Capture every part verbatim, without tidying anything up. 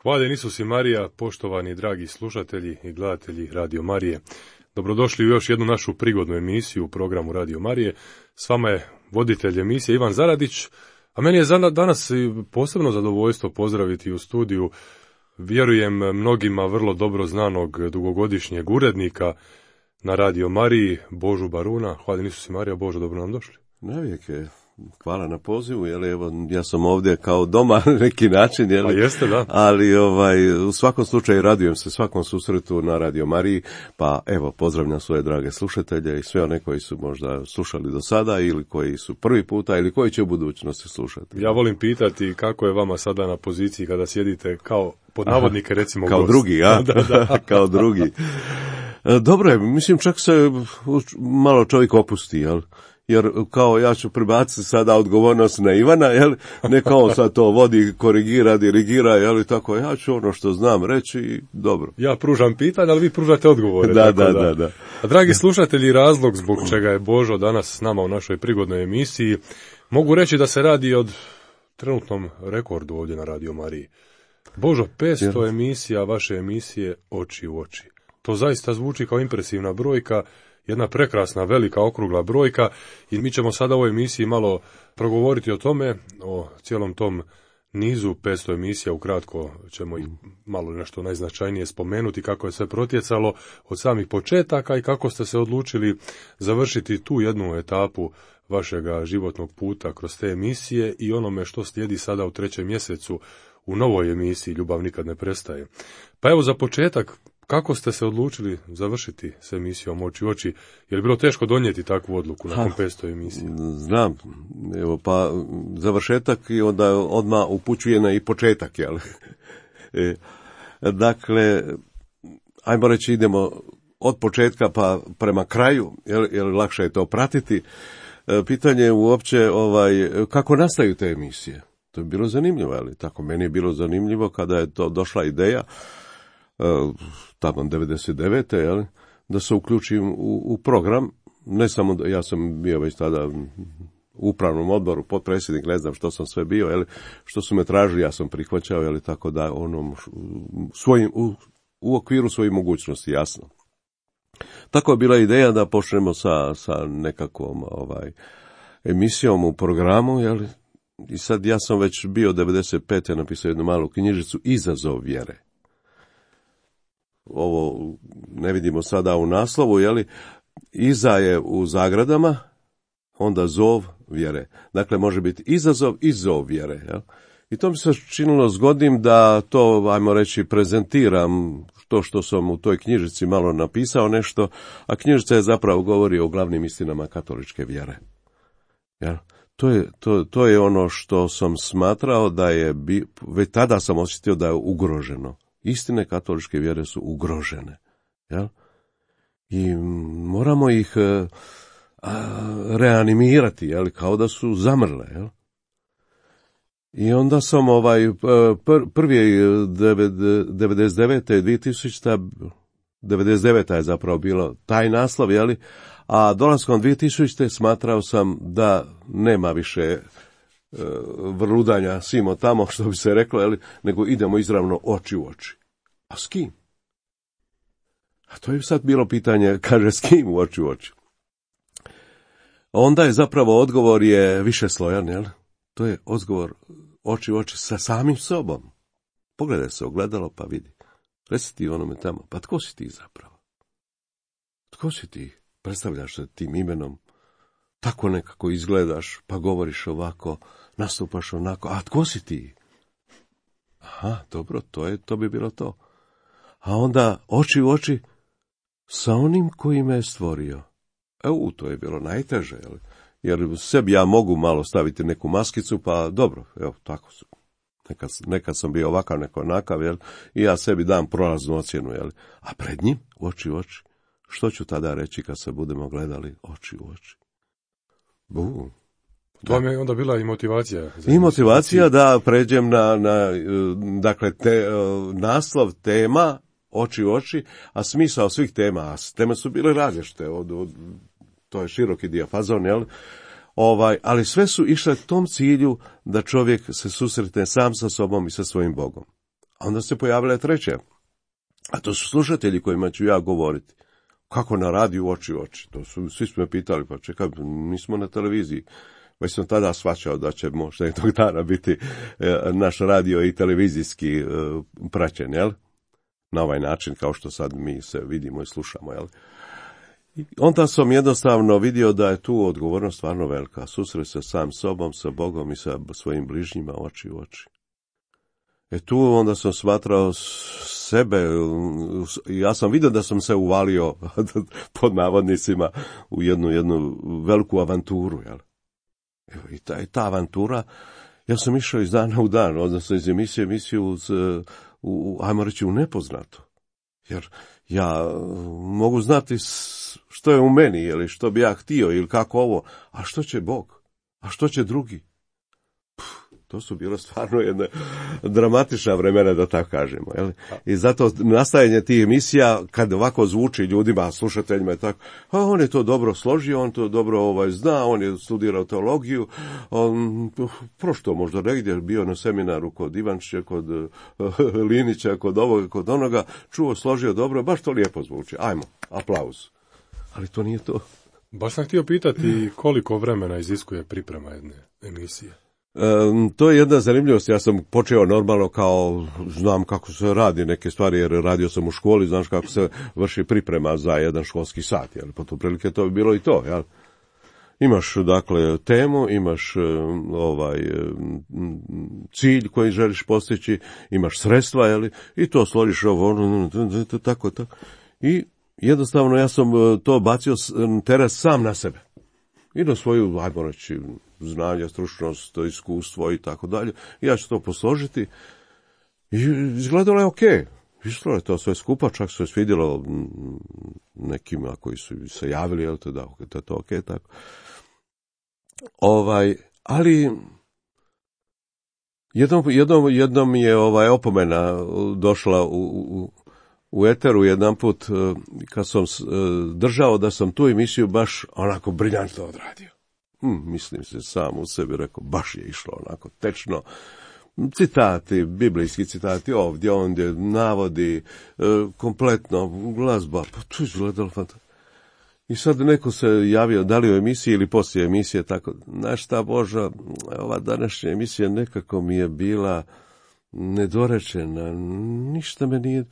Hvaljen Isus i Marija, poštovani dragi slušatelji i gledatelji Radio Marije. Dobrodošli u još jednu našu prigodnu emisiju u programu Radio Marije. S vama je voditelj emisije Ivan Zaradić, a meni je danas posebno zadovoljstvo pozdraviti u studiju, vjerujem mnogima vrlo dobro znanog dugogodišnjeg urednika na Radio Mariji, Božu Baruna. Hvaljen Isus i Marija. Božo, dobro nam došli. Navijek je. Hvala na pozivu, jer evo, ja sam ovdje kao doma na neki način, jel? Pa jeste, da. Ali ovaj, u svakom slučaju radujem se svakom susretu na Radio Mariji, pa evo, pozdravljam svoje drage slušatelje i sve one koji su možda slušali do sada ili koji su prvi puta ili koji će u budućnosti slušati. Ja volim pitati kako je vama sada na poziciji kada sjedite kao pod navodnike, recimo, kao gost. drugi, ja? da, da. Kao drugi. Dobro je, mislim, čak se malo čovjek opusti, jel? Jer kao ja ću prebaciti sada odgovornost na Ivana, jel? Ne kao sad to vodi, korigira, dirigira, jel? Tako, ja ću ono što znam reći i dobro. Ja pružam pitanje, ali vi pružate odgovore. Da, tako da, da, da, da. A dragi slušatelji, razlog zbog čega je Božo danas s nama u našoj prigodnoj emisiji, mogu reći da se radi od trenutnom rekordu ovdje na Radio Mariji. Božo, petsto emisija vaše emisije Oči u oči. To zaista zvuči kao impresivna brojka, jedna prekrasna, velika, okrugla brojka, i mi ćemo sada u ovoj emisiji malo progovoriti o tome, o cijelom tom nizu petsto emisija. Ukratko ćemo ih malo nešto najznačajnije spomenuti, kako je sve protjecalo od samih početaka i kako ste se odlučili završiti tu jednu etapu vašega životnog puta kroz te emisije i onome što slijedi sada u trećem mjesecu u novoj emisiji Ljubav nikad ne prestaje. Pa evo, za početak, kako ste se odlučili završiti s emisijom Oči u oči? Je li bilo teško donijeti takvu odluku nakon petsto emisije? Znam, evo, pa završetak i onda odmah upućuje na i početak, jel? E, dakle, ajmo reći, idemo od početka pa prema kraju, jer, jer lakše je to pratiti. E, pitanje je uopće ovaj, kako nastaju te emisije. To je bilo zanimljivo, ali tako, meni je bilo zanimljivo kada je to došla ideja, tamo devedeset devete jel, da se uključim u, u program, ne samo da ja sam bio već tada u upravnom odboru, potpredsjednik, ne znam što sam sve bio, jel, što su me tražili, ja sam prihvaćao, jel, tako da onom svojim, u, u okviru svojih mogućnosti, jasno. Tako je bila ideja da počnemo sa, sa nekakvom ovaj, emisijom u programu, jel, i sad ja sam već bio devedeset pete napisao jednu malu knjižicu Izazov vjere. Ovo ne vidimo sada u naslovu, jeli, iza je u zagradama, onda zov vjere. Dakle, može biti izazov i zov vjere. Jel? I to mi se činilo zgodnim da to, ajmo reći, prezentiram to što sam u toj knjižici malo napisao nešto, a knjižica je zapravo govori o glavnim istinama katoličke vjere. Jel? To je, to, to je ono što sam smatrao da je, bi, već tada sam osjetio da je ugroženo. Istine katoličke vjere su ugrožene, jel? I moramo ih a, a, reanimirati, jel? Kao da su zamrle, jel? I onda sam ovaj pr, prvi devedeset devete dvije tisućite devedeset deveta je zapravo bilo taj naslov, jel? A dolaskom dvije tisućite smatrao sam da nema više vrludanja simo tamo, što bi se reklo, jel, nego idemo izravno oči u oči. A s kim? A to je sad bilo pitanje, kaže, s kim u oči u oči? Onda je zapravo odgovor je više slojan, jel? To je odgovor oči u oči sa samim sobom. Pogledaj se ogledalo pa vidi. Reci ti onome tamo, pa tko si ti zapravo? Tko si ti? Predstavljaš se tim imenom, tako nekako izgledaš, pa govoriš ovako, nastupaš onako, a tko si ti? Aha, dobro, to je, to bi bilo to. A onda oči u oči sa onim koji me je stvorio. Evo, to je bilo najteže, jel? Jer sebi ja mogu malo staviti neku maskicu, pa dobro, evo, tako su. Nekad, nekad sam bio ovakav, neko onakav, jel? I ja sebi dam prolaznu ocjenu, jel? A pred njim, oči u oči, što ću tada reći kad se budemo gledali oči u oči? Bu. To vam je onda bila i motivacija. Za I motivacija da pređem na, na dakle, te, naslov tema oči u oči, a smisao svih tema, a teme su bile različite, od, od, to je široki dijapazon, jel? Ovaj, ali sve su išle tom cilju da čovjek se susretne sam sa sobom i sa svojim Bogom. A onda se pojavila treća. A to su slušatelji kojima ću ja govoriti. Kako na radiju oči u oči? To su, svi smo me pitali, pa čekaj, nismo na televiziji. Već sam tada shvaćao da će možda jednog dana biti e, naš radio i televizijski e, praćen, jel? Na ovaj način, kao što sad mi se vidimo i slušamo, jel? I onda sam jednostavno vidio da je tu odgovornost stvarno velika. Susret se sam sobom, sa Bogom i sa svojim bližnjima oči u oči. E tu onda sam smatrao sebe, ja sam vidio da sam se uvalio pod navodnicima u jednu, jednu veliku avanturu, jel? I ta, i ta avantura, ja sam išao iz dana u dan, odnosno iz emisije emisiju uz, u, ajmo reći, u nepoznato. Jer ja mogu znati što je u meni, ili što bi ja htio, ili kako ovo, a što će Bog, a što će drugi. Puh, to su bilo stvarno jedne dramatična vremena, da tako kažemo. Jel? I zato nastajanje tih emisija, kad ovako zvuči ljudima, slušateljima i tako, a on je to dobro složio, on to dobro ovaj, zna, on je studirao teologiju, on prošto možda negdje, bio na seminaru kod Ivančića, kod uh, Linića, kod ovoga, kod onoga, čuo, složio dobro, baš to lijepo zvuči. Ajmo, aplauz. Ali to nije to. Baš sam htio pitati koliko vremena iziskuje priprema jedne emisije. E, to je jedna zanimljivost. Ja sam počeo normalno kao, znam kako se radi neke stvari, jer radio sam u školi, znaš kako se vrši priprema za jedan školski sat, jel? Pa to prilike to bi bilo i to, jel? Imaš, dakle, temu, imaš ovaj cilj koji želiš postići, imaš sredstva, jel? I to složiš ovo, tako, tako. I jednostavno ja sam to bacio teret sam na sebe. I na svoju, ajmo reći, znanje, stručnost, iskustvo i tako dalje. Ja ću to posložiti. I izgledalo je okej. Išlo je to sve skupa, čak se svidjelo nekima koji su se javili, jel te da, da je to okej, tako. Ovaj, ali jednom, jednom, jednom je ovaj opomena došla u, u u eteru jedan put, kad sam držao da sam tu emisiju baš onako briljantno odradio. Hm, mislim se sam u sebi, rekao, baš je išlo onako tečno. Citati, biblijski citati, ovdje, ondje, navodi, kompletno, glazba, pa tu je izgledalo fantastično. I sad neko se javio, da li u emisiji ili poslije emisije, tako, znaš šta, Božo, ova današnja emisija nekako mi je bila nedorečena, ništa me nije...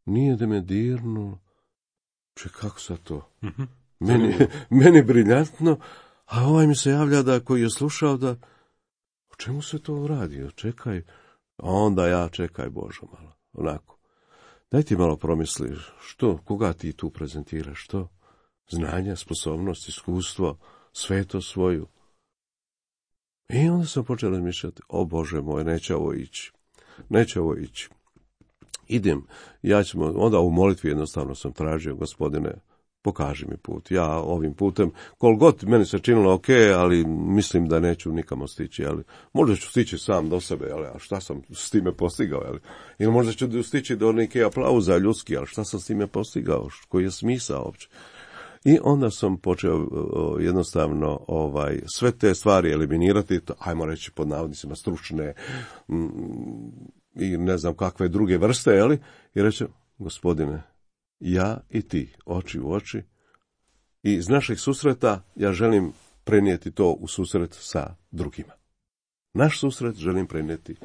Nije da me dirnulo. Če, kako sad to? Mm-hmm. Meni, meni briljantno, a ovaj mi se javlja da koji je slušao da, o čemu se to radi? Čekaj, a onda ja, čekaj Božo malo, onako. Daj ti malo promisli, što, koga ti tu prezentiraš, što? Znanje, sposobnost, iskustvo, sveto svoju. I onda sam počeo razmišljati, o Bože moj, neće ovo ići, neće ovo ići. Idem, ja ćemo, onda u molitvi jednostavno sam tražio, Gospodine, pokaži mi put. Ja ovim putem, kol god meni se činilo ok, ali mislim da neću nikamo stići, ali možda ću stići sam do sebe, ali a šta sam s time postigao, ali ili možda ću stići do neke aplauza ljudski, ali šta sam s time postigao, koji je smisao uopće. I onda sam počeo jednostavno ovaj sve te stvari eliminirati, to, ajmo reći pod navodnicima stručne m, i ne znam kakve druge vrste, jeli? I reče, Gospodine, ja i ti, oči u oči, i iz našeg susreta ja želim prenijeti to u susret sa drugima. Naš susret želim prenijeti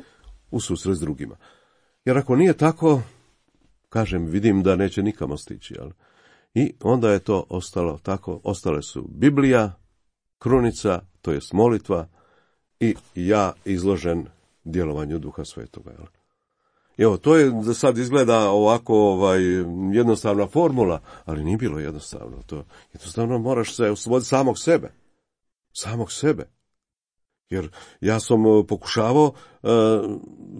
u susret s drugima. Jer ako nije tako, kažem, vidim da neće nikamo stići, jel? I onda je to ostalo tako, ostale su Biblija, krunica, to jest molitva, i ja izložen djelovanju Duha Svetoga. Jel? Evo, to je da sad izgleda ovako ovaj, jednostavna formula, ali nije bilo jednostavno. To jednostavno moraš se osloboditi samog sebe. Samog sebe. Jer ja sam pokušavao uh,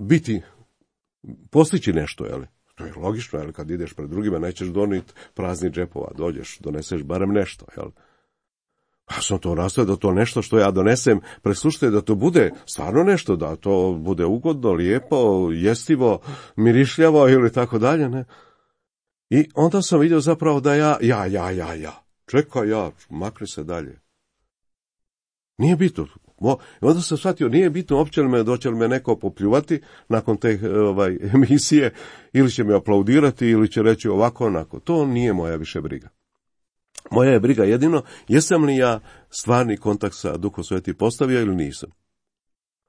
biti, postići nešto, jel? To je logično, jel? Kad ideš pred drugima, nećeš doniti prazni džepova, dođeš, doneseš barem nešto, jel? Ja sam to nastavio da to nešto što ja donesem, preslušajte da to bude stvarno nešto, da to bude ugodno, lijepo, jestivo, mirišljavo ili tako dalje, ne? I onda sam vidio zapravo da ja, ja, ja, ja, ja, čekaj ja, makni se dalje. Nije bitno, Mo, onda sam shvatio, nije bitno uopće li me, doće li me neko popljuvati nakon te ovaj, emisije, ili će me aplaudirati, ili će reći ovako, onako. To nije moja više briga. Moja je briga jedino, jesam li ja stvarni kontakt sa Duhom Svetim postavio ili nisam.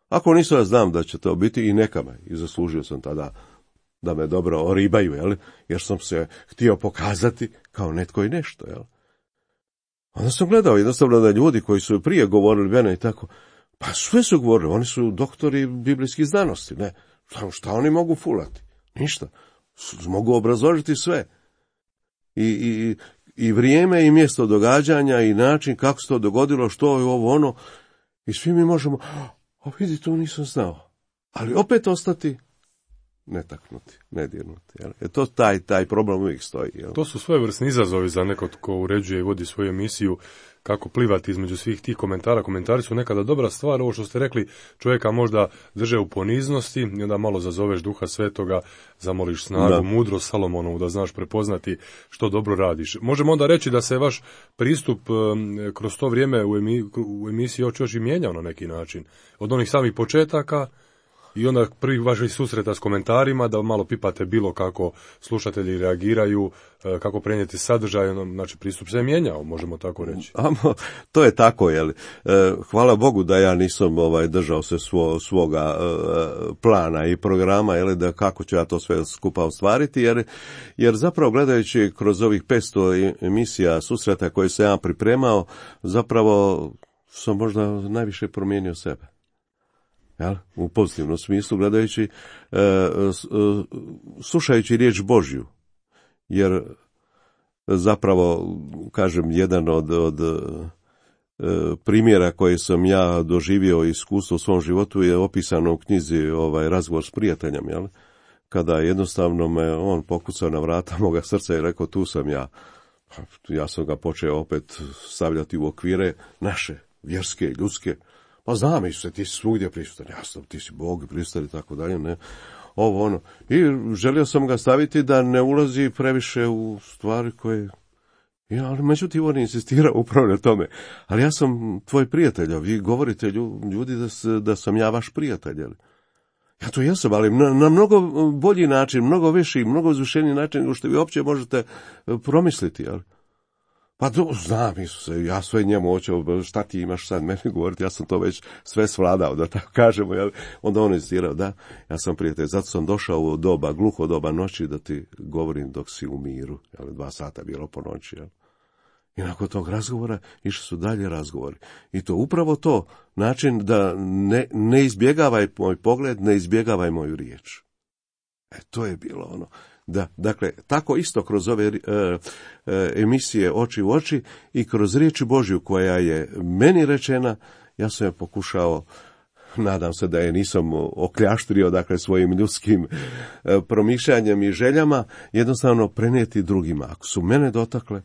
Ako nisam, ja znam da će to biti i neka me, i zaslužio sam tada da me dobro oribaju, jel? Jer sam se htio pokazati kao netko i nešto. Jel? Onda sam gledao jednostavno da ljudi koji su prije govorili mene i tako, pa sve su govorili, oni su doktori biblijskih znanosti, ne, šta, šta oni mogu fulati? Ništa, mogu obrazložiti sve. I, i, i vrijeme i mjesto događanja i način kako se to dogodilo, što je ovo ono, i svi mi možemo, a vidi, to nisam znao, ali opet ostati netaknuti, nedirnuti. Jel? E to taj, taj problem uvijek stoji. Jel? To su svojevrsni izazovi za nekog ko uređuje i vodi svoju emisiju, kako plivati između svih tih komentara. Komentari su nekada dobra stvar, ovo što ste rekli, čovjeka možda drže u poniznosti i onda malo zazoveš Duha Svetoga, zamoliš snagu, da. Mudrost Salomonovu, da znaš prepoznati što dobro radiš. Možemo onda reći da se vaš pristup kroz to vrijeme u, emi, u emisiji Oči oči mijenjao na neki način. Od onih samih početaka i onda prvih vaših susreta s komentarima, da malo pipate bilo kako slušatelji reagiraju, kako prenijeti sadržaj, znači pristup se je mijenjao, možemo tako reći. Amo, to je tako, jel? Hvala Bogu da ja nisam ovaj, držao se svo, svoga plana i programa, jel, da kako ću ja to sve skupa ostvariti, jer, jer zapravo gledajući kroz ovih petsto emisija susreta koje sam ja pripremao, zapravo sam možda najviše promijenio sebe. Jel? U pozitivnom smislu, gledajući, e, e, slušajući riječ Božju, jer zapravo, kažem, jedan od, od e, primjera koji sam ja doživio iskustvo u svom životu je opisano u knjizi ovaj Razgovor s prijateljem, jel? Kada jednostavno me on pokucao na vrata moga srca i rekao, tu sam ja. Ja sam ga počeo opet stavljati u okvire naše, vjerske, ljudske. Pa znam i se, ti si svugdje prisutan, jasno, ti si Bog prisutan i tako dalje, ne, ovo ono. I želio sam ga staviti da ne ulazi previše u stvari koje, ja, ali međutim on insistira upravo na tome. Ali ja sam tvoj prijatelj, a vi govorite ljudi da, se, da sam ja vaš prijatelj, ali ja to jesam, ali na, na mnogo bolji način, mnogo viši, mnogo uzvišeniji način nego što vi uopće možete promisliti, jel? Pa do, znam, Isuse, ja sve njemu hoću, šta ti imaš sad meni govoriti, ja sam to već sve svladao, da tako kažemo, jel? Onda on insistirao, da, ja sam prijatelj, zato sam došao u doba, gluho doba noći, da ti govorim dok si u miru, jel? Dva sata bilo po noći, jel? I nakon tog razgovora išli su dalje razgovori. I to upravo to, način da ne, ne izbjegavaj moj pogled, ne izbjegavaj moju riječ. E, to je bilo ono. Da, dakle, tako isto kroz ove e, e, emisije Oči u oči i kroz riječ Božju koja je meni rečena, ja sam je pokušao, nadam se da je nisam okljaštrio, dakle, svojim ljudskim e, promišljanjem i željama, jednostavno prenijeti drugima. Ako su mene dotakle,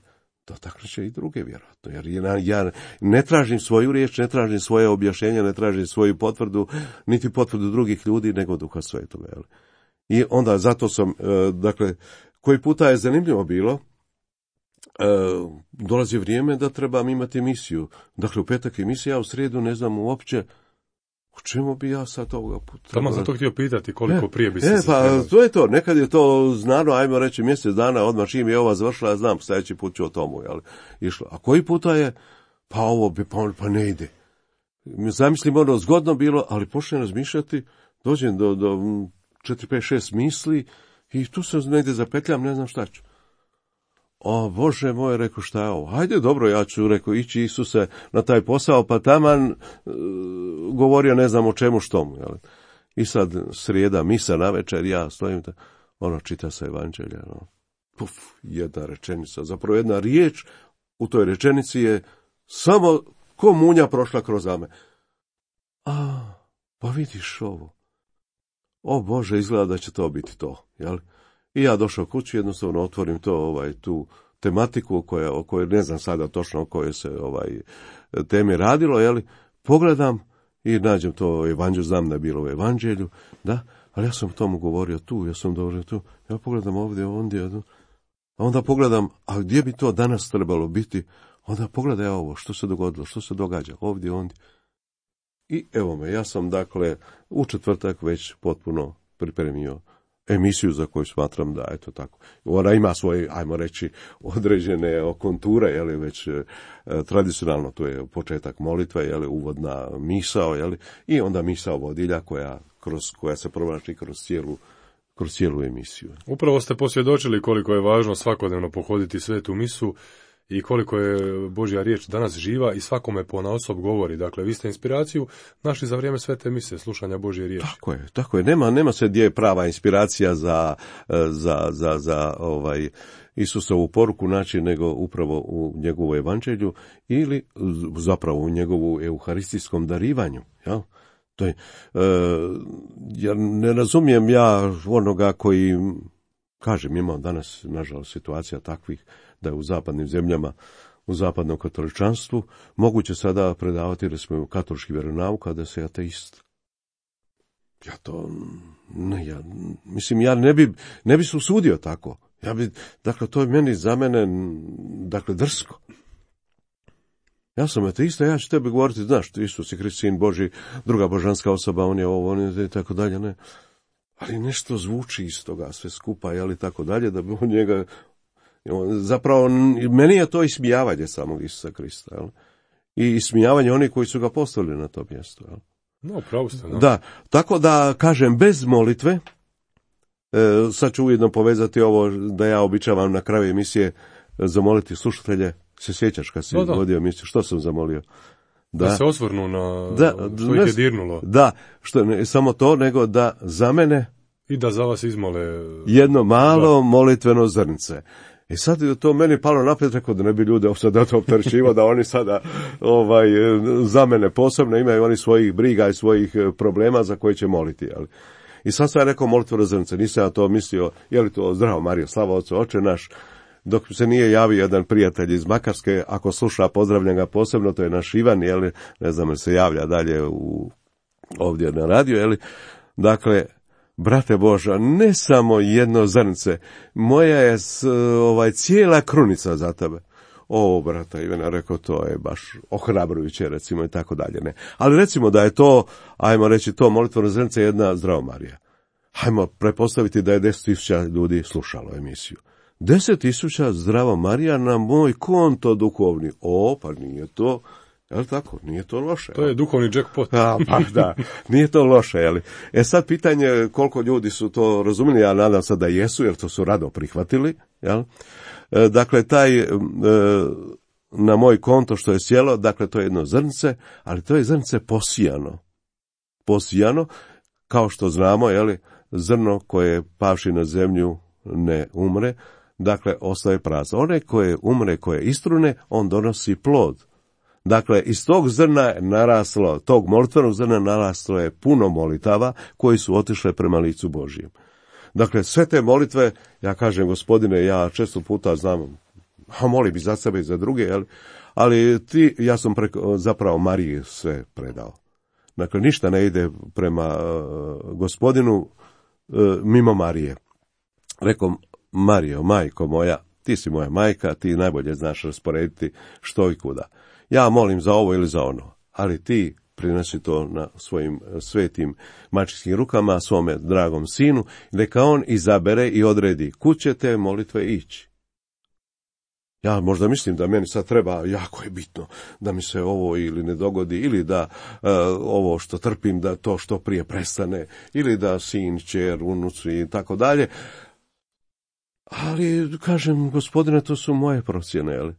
dotakle će i druge, vjerojatno. Jer ja, ja ne tražim svoju riječ, ne tražim svoje objašnjenje, ne tražim svoju potvrdu, niti potvrdu drugih ljudi, nego Duha Svetoga, jel? I onda zato sam, dakle, koji puta je zanimljivo bilo, dolazi vrijeme da trebam imati emisiju. Dakle, u petak emisija, a u srijedu ne znam uopće o čemu bi ja sad ovoga puta. Tamo sam to htio pitati koliko e, prije bi se... E, pa trebali. To je to, nekad je to znano, ajmo reći mjesec dana, odmah čim je ova završila, ja znam, sljedeći put ću o tomu, jel, išlo. A koji puta je, pa ovo bi, pa, pa ne ide. Zamislim, ono zgodno bilo, ali počnem razmišljati, dođem do... do četiri, pet, šest misli i tu se negdje zapetljam, ne znam šta ću. O, Bože moj, rekao, šta je ovo? Hajde, dobro, ja ću, rekao, ići Isuse na taj posao, pa taman e, govorio ne znam o čemu štomu. Jel? I sad srijeda, misa na večer, ja stojim, ta, ono, čita se evanđelje, ono, puf, jedna rečenica, zapravo jedna riječ u toj rečenici je samo ko munja prošla kroz me. A, pa vidiš ovo. O Bože, izgleda da će to biti to, jel? I ja došao kući, jednostavno otvorim to, ovaj, tu tematiku koja, o kojoj ne znam sada točno o kojoj se ovaj temi radilo, jel? Pogledam i nađem to evanđelje, znam da je bilo u evanđelju, da, ali ja sam o tomu govorio tu, ja sam govorio tu, ja pogledam ovdje, ondje, a onda pogledam, a gdje bi to danas trebalo biti, onda pogledaj ovo, što se dogodilo, što se događa, ovdje, ondje. I evo me, ja sam dakle u četvrtak već potpuno pripremio emisiju za koju smatram da, eto tako, ona ima svoje, ajmo reći, određene konture, je li, već e, tradicionalno, to je početak molitve, je li, uvodna misao, je li, i onda misao vodilja koja, kroz, koja se provlači kroz cijelu, kroz cijelu emisiju. Upravo ste posvjedočili koliko je važno svakodnevno pohoditi svetu misu i koliko je Božja riječ danas živa i svakome ponaosob govori. Dakle, vi ste inspiraciju našli za vrijeme svete mise, slušanja Božje riječi. Tako je, tako je. Nema, nema se gdje je prava inspiracija za, za, za, za ovaj Isusovu poruku naći, nego upravo u njegovu evanđelju ili zapravo u njegovu euharistijskom darivanju. Jel? To je, e, ja ne razumijem ja onoga koji, kažem, imamo danas, nažalost, situacija takvih da je u zapadnim zemljama, u zapadnom katoličanstvu, moguće sada predavati, recimo, katolički vjeronauk, a da se ateist. Ja to, ne, ja, mislim, ja ne bi, ne bi se usudio tako. Ja bi, dakle, to je meni, za mene, dakle, drsko. Ja sam ateista, ja ću tebi govoriti, znaš, Isus je Krist, sin Boži, druga božanska osoba, on je ovo, on je i tako dalje, ne. Ali nešto zvuči iz toga sve skupa, jel, i tako dalje, da bi on njega, zapravo, meni je to ismijavanje samog Isusa Krista, jel? I ismijavanje onih koji su ga postavili na to mjesto, jel? No, pravo ste, no. Da, tako da, kažem, bez molitve, e, sad ću ujedno povezati ovo da ja običavam na kraju emisije zamoliti slušatelje. Se sjećaš kad si da, vodio emisiju, što sam zamolio? Da, da se osvrnu na da, što ih je dirnulo. Da, što ne samo to, nego da za mene i da za vas izmole jedno malo da. molitveno zrnce. I sad je to meni palo naprijed, rekao da ne bi ljude sada to opterećivo, da oni sada ovaj, za mene posebno imaju oni svojih briga i svojih problema za koje će moliti. Ali. I sad sam rekao molitveno zrnce, nisam ja to mislio, je li to zdravo Mario, slava Otcu, Oče naš. Dok se nije javio jedan prijatelj iz Makarske, ako sluša, pozdravljam ga posebno, to je naš Ivan, jeli, ne znam, se javlja dalje u, ovdje na radiju, jeli. Dakle, brate Boža, ne samo jedno zrnce, moja je s, ovaj, cijela krunica za tebe. O, brata Ivana, rekao, to je baš ohrabrujuće, recimo, i tako dalje, ne. Ali recimo da je to, ajmo reći, to molitveno zrnce jedna Zdravo Marija. Hajmo prepostaviti da je deset tisuća ljudi slušalo emisiju. Deset tisuća Zdravo Marija na moj konto duhovni. O, pa nije to, jel tako, nije to loše. To je duhovni jackpot. A, pa da, nije to loše, jel? E sad pitanje koliko ljudi su to razumjeli, ja nadam se da jesu, jer to su rado prihvatili, jel? E, dakle, taj, e, na moj konto što je sjelo, dakle, to je jedno zrnce, ali to je zrnce posijano. Posijano, kao što znamo, jel, zrno koje pavši na zemlju ne umre, dakle, ostaje prazno. One koje umre, koje istrune, on donosi plod. Dakle, iz tog zrna je naraslo, tog molitvenog zrna naraslo je puno molitava koji su otišle prema licu Božijem. Dakle, sve te molitve, ja kažem, Gospodine, ja često puta znam, a molim i za sebe i za druge, jel? Ali ti, ja sam preko, zapravo Mariji sve predao. Dakle, ništa ne ide prema uh, Gospodinu uh, mimo Marije. Rekao, Marijo, majko moja, ti si moja majka, ti najbolje znaš rasporediti što i kuda. Ja molim za ovo ili za ono, ali ti prinesi to na svojim svetim majčinskim rukama, svome dragom sinu, neka on izabere i odredi kud će te molitve ići. Ja možda mislim da meni sad treba, jako je bitno, da mi se ovo ili ne dogodi, ili da uh, ovo što trpim, da to što prije prestane, ili da sin, čer, unuci i tako dalje. Ali, kažem, Gospodine, to su moje procjene, ali,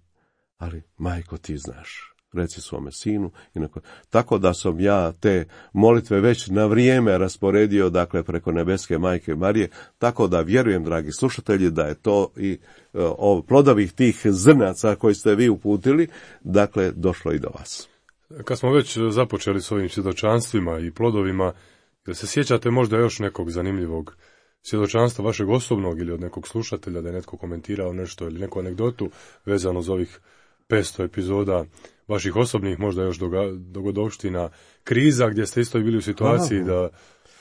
ali majko, ti znaš, reci svome sinu. Inako, tako da sam ja te molitve već na vrijeme rasporedio, dakle, preko nebeske majke Marije, tako da vjerujem, dragi slušatelji, da je to i o, plodovih tih zrnaca koji ste vi uputili, dakle, došlo i do vas. Kad smo već započeli s ovim svjedočanstvima i plodovima, jel se sjećate možda još nekog zanimljivog svjedočanstva vašeg osobnog ili od nekog slušatelja, da je netko komentirao nešto ili neku anegdotu vezano za ovih petsto epizoda vaših osobnih, možda još dogodovština, kriza, gdje ste isto bili u situaciji Aha. da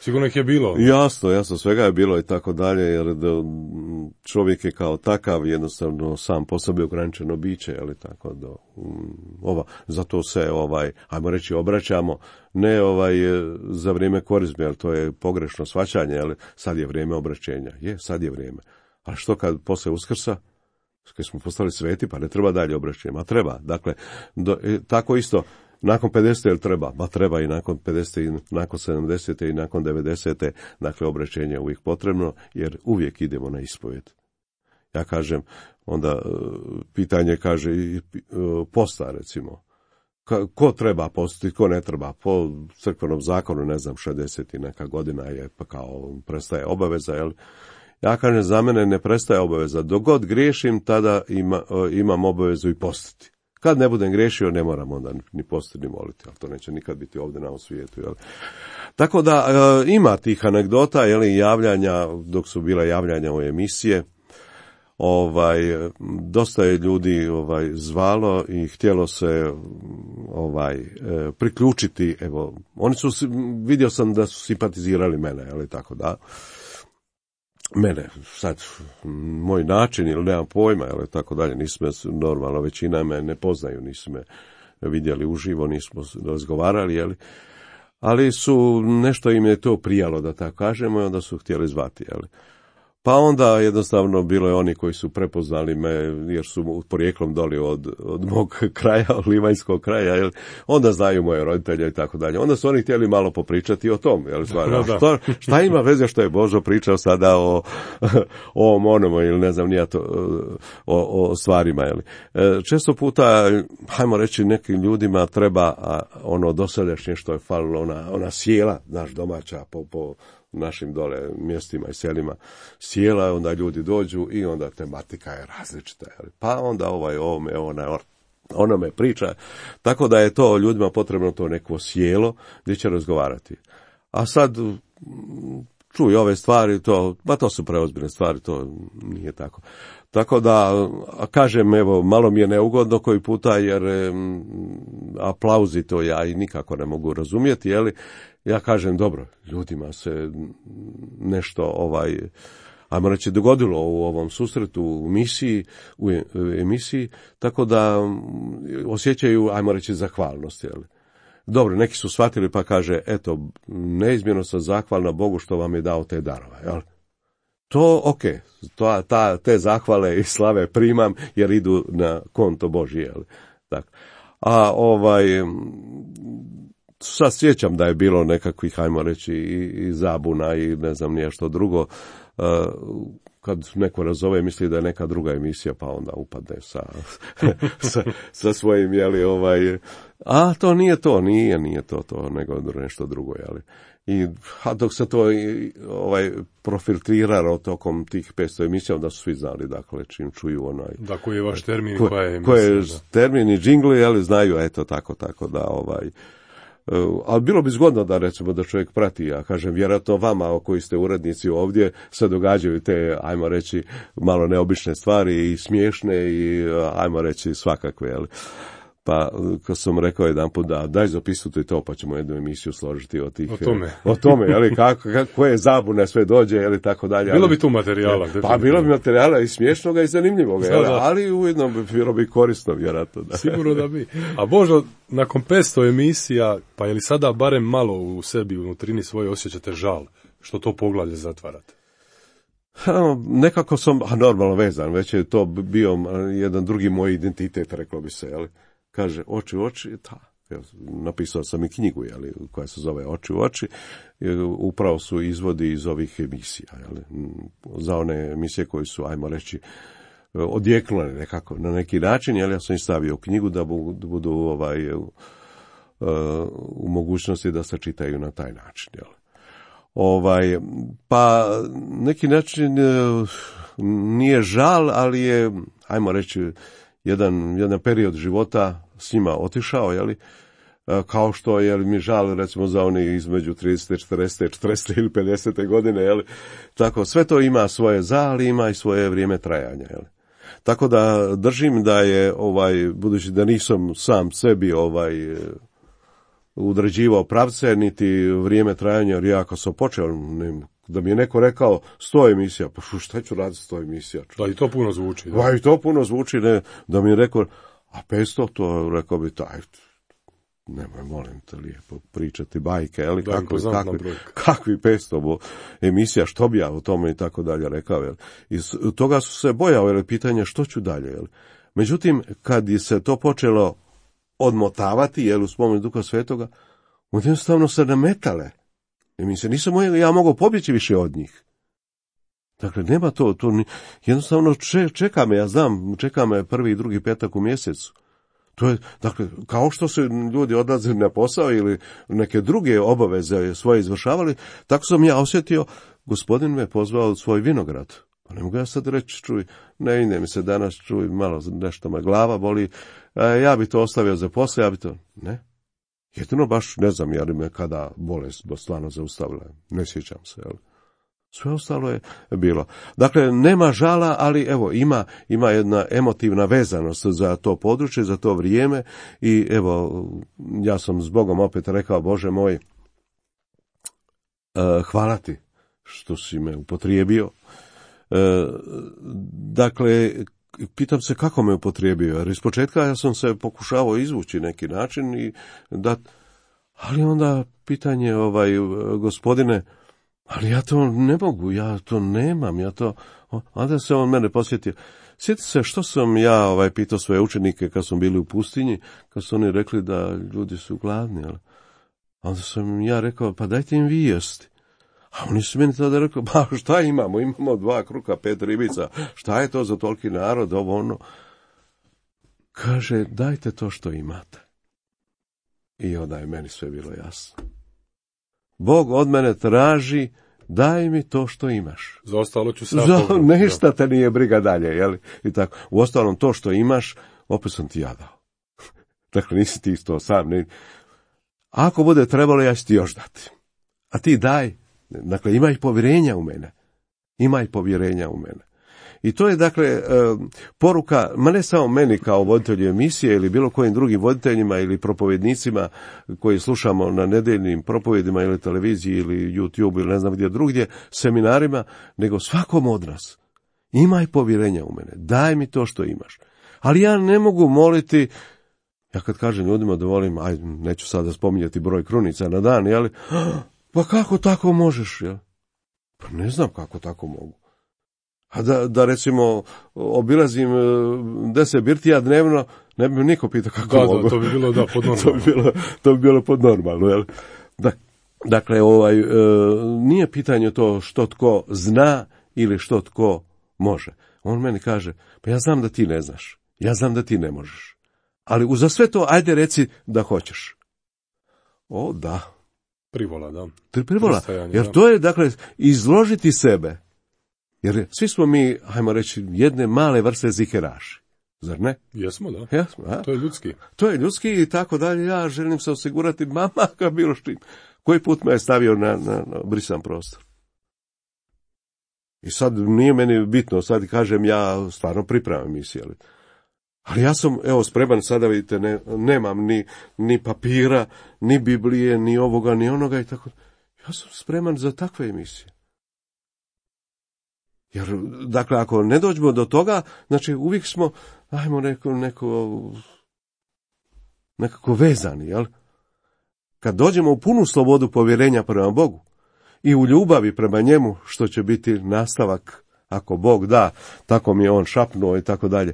Sigurno ih je bilo. Jasno, jasno, svega je bilo i tako dalje, jer da čovjek je kao takav jednostavno sam po sebi ograničeno biće, ali tako da ova, zato se ovaj, ajmo reći, obraćamo ne ovaj za vrijeme korizme, jer to je pogrešno shvaćanje, ali sad je vrijeme obraćenja. Je, sad je vrijeme. A što kad posle Uskrsa? Kad smo postali sveti, pa ne treba dalje obraćenje, a treba. Dakle, do, tako isto, nakon pedesete jel treba? Ba treba i nakon pedesete, i nakon sedamdesete i nakon devedesete, dakle obraćenje je uvijek potrebno, jer uvijek idemo na ispovijed. Ja kažem, onda pitanje kaže i posta, recimo. Ko treba postiti, ko ne treba? Po crkvenom zakonu, ne znam, šezdeset i neka godina je, pa kao prestaje obaveza, jel? Ja kažem, za mene ne prestaje obaveza. Dok god griješim, tada ima, imam obavezu i postiti. Kad ne budem griješio, ne moram onda ni postiti, ni moliti, ali to neće nikad biti ovdje na ovom svijetu. Jel? Tako da e, ima tih anegdota, jel, javljanja, dok su bila javljanja u emisije, ovaj, dosta je ljudi ovaj, zvalo i htjelo se ovaj, e, priključiti, evo, oni su, vidio sam da su simpatizirali mene, jel, tako da, mene, sad, moj način ili nemam pojma, ili tako dalje, nismo, normalno, većina me ne poznaju, nismo me vidjeli uživo, nismo razgovarali, jeli, ali su, nešto im je to prijalo, da tako kažemo, i onda su htjeli zvati, jeli. Pa onda jednostavno bilo je oni koji su prepoznali me, jer su porijeklom doli od, od mog kraja, od livanjskog kraja, jel? Onda znaju moje roditelje i tako dalje. Onda su oni htjeli malo popričati o tom, jel? Stvarno, šta, šta ima veze što je Božo pričao sada o, o onomu, ili ne znam nija to, o, o stvarima, jel? Često puta, hajmo reći, nekim ljudima treba ono dosadašnje što je falilo, ona, ona sjela, naš domaća, po, po našim dole mjestima i selima sjela, onda ljudi dođu i onda tematika je različita. Pa onda ovaj ovome, ona, onome priča. Tako da je to ljudima potrebno to neko sjelo gdje će razgovarati. A sad čuj ove stvari, to, pa to su preozbiljne stvari, to nije tako. Tako da, kažem, evo, malo mi je neugodno koji puta, jer m, aplauzi to ja i nikako ne mogu razumjeti, jeli? Ja kažem, dobro, ljudima se nešto, ovaj, ajmo reći, dogodilo u ovom susretu, u misiji, u emisiji, tako da osjećaju, ajmo reći, zahvalnost, jeli? Dobro, neki su shvatili pa kaže, eto, neizmjerno sam zahvalna Bogu što vam je dao te darove, jel? To, ok, to, ta, te zahvale i slave primam jer idu na konto Božji, jel? Tak. A ovaj, sad sjećam da je bilo nekakvih, hajmo reći, i, i zabuna i ne znam nije što drugo, uh, kad neko razove misli da je neka druga emisija, pa onda upadne sa, sa, sa svojim, jeli, ovaj, a to nije to, nije, nije to, to, nego nešto drugo, jeli. I, a dok se to ovaj, profiltriralo tokom tih petsto emisija, da su svi znali, dakle, čim čuju onaj... Da, koji je vaš termin, ko, koja je emisija. Koji je termin i džingli, jeli, znaju, eto, tako, tako da, ovaj... Uh, ali bilo bi zgodno da, recimo, da čovjek prati, ja kažem, vjerojatno vama koji ste urednici ovdje se događaju te, ajmo reći, malo neobične stvari i smiješne i, ajmo reći, svakakve, jel? Pa, kad sam rekao jedan put da daj zapisujte to, pa ćemo jednu emisiju složiti o tih... O tome. O tome, jel, kako, koje zabune sve dođe, jel, tako dalje. Bilo ali, bi tu materijala. Pa, pa bilo bi materijala i smiješnoga i zanimljivoga, jel, ali ujedno bi bilo bi korisno, vjerojatno. Da. Sigurno da bi. A Božo, nakon petsto emisija, pa je li sada barem malo u sebi, u nutrini svoje osjećate žal, što to poglavlje zatvarate? Nekako sam, a normalno vezan, već je to bio jedan drugi moj identitet, reklo bi se, jel. Kaže, oči u oči, ta, napisao sam i knjigu, jeli, koja se zove Oči u oči, upravo su izvodi iz ovih emisija, jeli, za one emisije koje su, ajmo reći, odjeknule nekako, na neki način, jeli, ja sam ih stavio u knjigu da budu, budu ovaj, u mogućnosti da se čitaju na taj način, jeli. Ovaj, pa, neki način nije žal, ali je, ajmo reći, jedan, jedan period života s njima otišao, jeli, kao što je mi žal, recimo, za oni između tridesete, četrdesete, četrdesete ili pedesete godine, jeli, tako, sve to ima svoje za, ali ima i svoje vrijeme trajanja, jeli. Tako da držim da je, ovaj, budući da nisam sam sebi, ovaj, udređivao pravce, niti vrijeme trajanja, jer ja kad sam počeo, ne, da mi je neko rekao sto emisija, pa šta ću raditi sto emisija? Da, i to puno zvuči. Da, da i to puno zvuči, ne, da mi je rekao, a petsto, to rekao bi taj, nemoj, molim te, lijepo pričati bajke, ali da, kakvi, kakvi, kakvi petsto bo, emisija, što bi ja o tome i tako dalje rekao. Jel? Iz toga su se bojao, jel, pitanje što ću dalje. Jel? Međutim, kad je se to počelo odmotavati, jel, u spomenu Duha Svetoga, jednostavno se nametale. I mi se nisam ja mogao pobjeći više od njih. Dakle, nema to, to jednostavno čeka me, ja znam, čeka me prvi i drugi petak u mjesecu. To je, dakle, kao što se ljudi odlazili na posao ili neke druge obaveze svoje izvršavali, tako sam ja osjetio, gospodin me pozvao u svoj vinograd. Pa ne mogu ja sad reći, čuj, ne ide mi se danas, čuj, malo nešto me glava boli, a ja bi to ostavio za poslije, ja bi to, ne. Jedino baš ne znam, jer me kada bolest stvarno zaustavila, ne sjećam se, jel? Sve ostalo je bilo. Dakle, nema žala, ali evo, ima, ima jedna emotivna vezanost za to područje, za to vrijeme i evo, ja sam s Bogom opet rekao, Bože moj, uh, hvala ti što si me upotrijebio. Uh, dakle, pitam se kako me upotrijebio, jer ispočetka ja sam se pokušavao izvući neki način i da, ali onda pitanje, ovaj, gospodine, ali ja to ne mogu, ja to nemam, ja to, onda se on mene posjetio. Sjeti se što sam ja ovaj, pitao svoje učenike kad smo bili u pustinji, kad su oni rekli da ljudi su gladni, ali onda sam ja rekao, pa dajte im vi jesti. A oni su meni tada rekli, pa šta imamo, imamo dva kruha, pet ribica, šta je to za toliki narod, ovo ono. Kaže, dajte to što imate. I onda je meni sve bilo jasno. Bog od mene traži, daj mi to što imaš. Za ostalo ću sad Za ništa te nije briga dalje, jel? I tako. U ostalom to što imaš, opet sam ti ja dao. Dakle, nisi ti to sam. Ne. Ako bude trebalo, ja ću ti još dati. A ti daj. Dakle, imaj povjerenja u mene. Imaj povjerenja u mene. I to je, dakle, poruka, ma ne samo meni kao voditelju emisije ili bilo kojim drugim voditeljima ili propovjednicima koji slušamo na nedeljnim propovjedima ili televiziji ili YouTube ili ne znam gdje drugdje, seminarima, nego svakom od nas. Imaj povjerenja u mene, daj mi to što imaš. Ali ja ne mogu moliti, ja kad kažem ljudima da volim, aj, neću sada spominjati broj krunica na dan, jel? Pa kako tako možeš, jel? Pa ne znam kako tako mogu. A da, da recimo obilazim deset birtija dnevno, ne bi niko pitao kako da, mogu. Da, to bi bilo da podnormalno. to, bi bilo, to bi bilo podnormalno, jel? Da, dakle, ovaj, e, nije pitanje to što tko zna ili što tko može. On meni kaže, pa ja znam da ti ne znaš, ja znam da ti ne možeš, ali uza sve to, ajde reci da hoćeš. O, da. Privola, da. Privola, jer to je, dakle, izložiti sebe. Jer svi smo mi, hajmo reći, jedne male vrste ziheraši. Zar ne? Jesmo, da. Jesmo, a? To je ljudski. To je ljudski i tako dalje. Ja želim se osigurati, mama, kao bilo što. Koji put me je stavio na, na, na brisan prostor. I sad nije meni bitno, sad kažem ja stvarno pripremam emisiju. Ali, ali ja sam, evo, spreman, sada vidite, ne, nemam ni, ni papira, ni Biblije, ni ovoga, ni onoga i tako. Ja sam spreman za takve emisije. Jer, dakle, ako ne dođemo do toga, znači uvijek smo, ajmo neko, neko, nekako vezani, jel? Kad dođemo u punu slobodu povjerenja prema Bogu i u ljubavi prema njemu, što će biti nastavak, ako Bog da, tako mi je on šapnuo i tako dalje.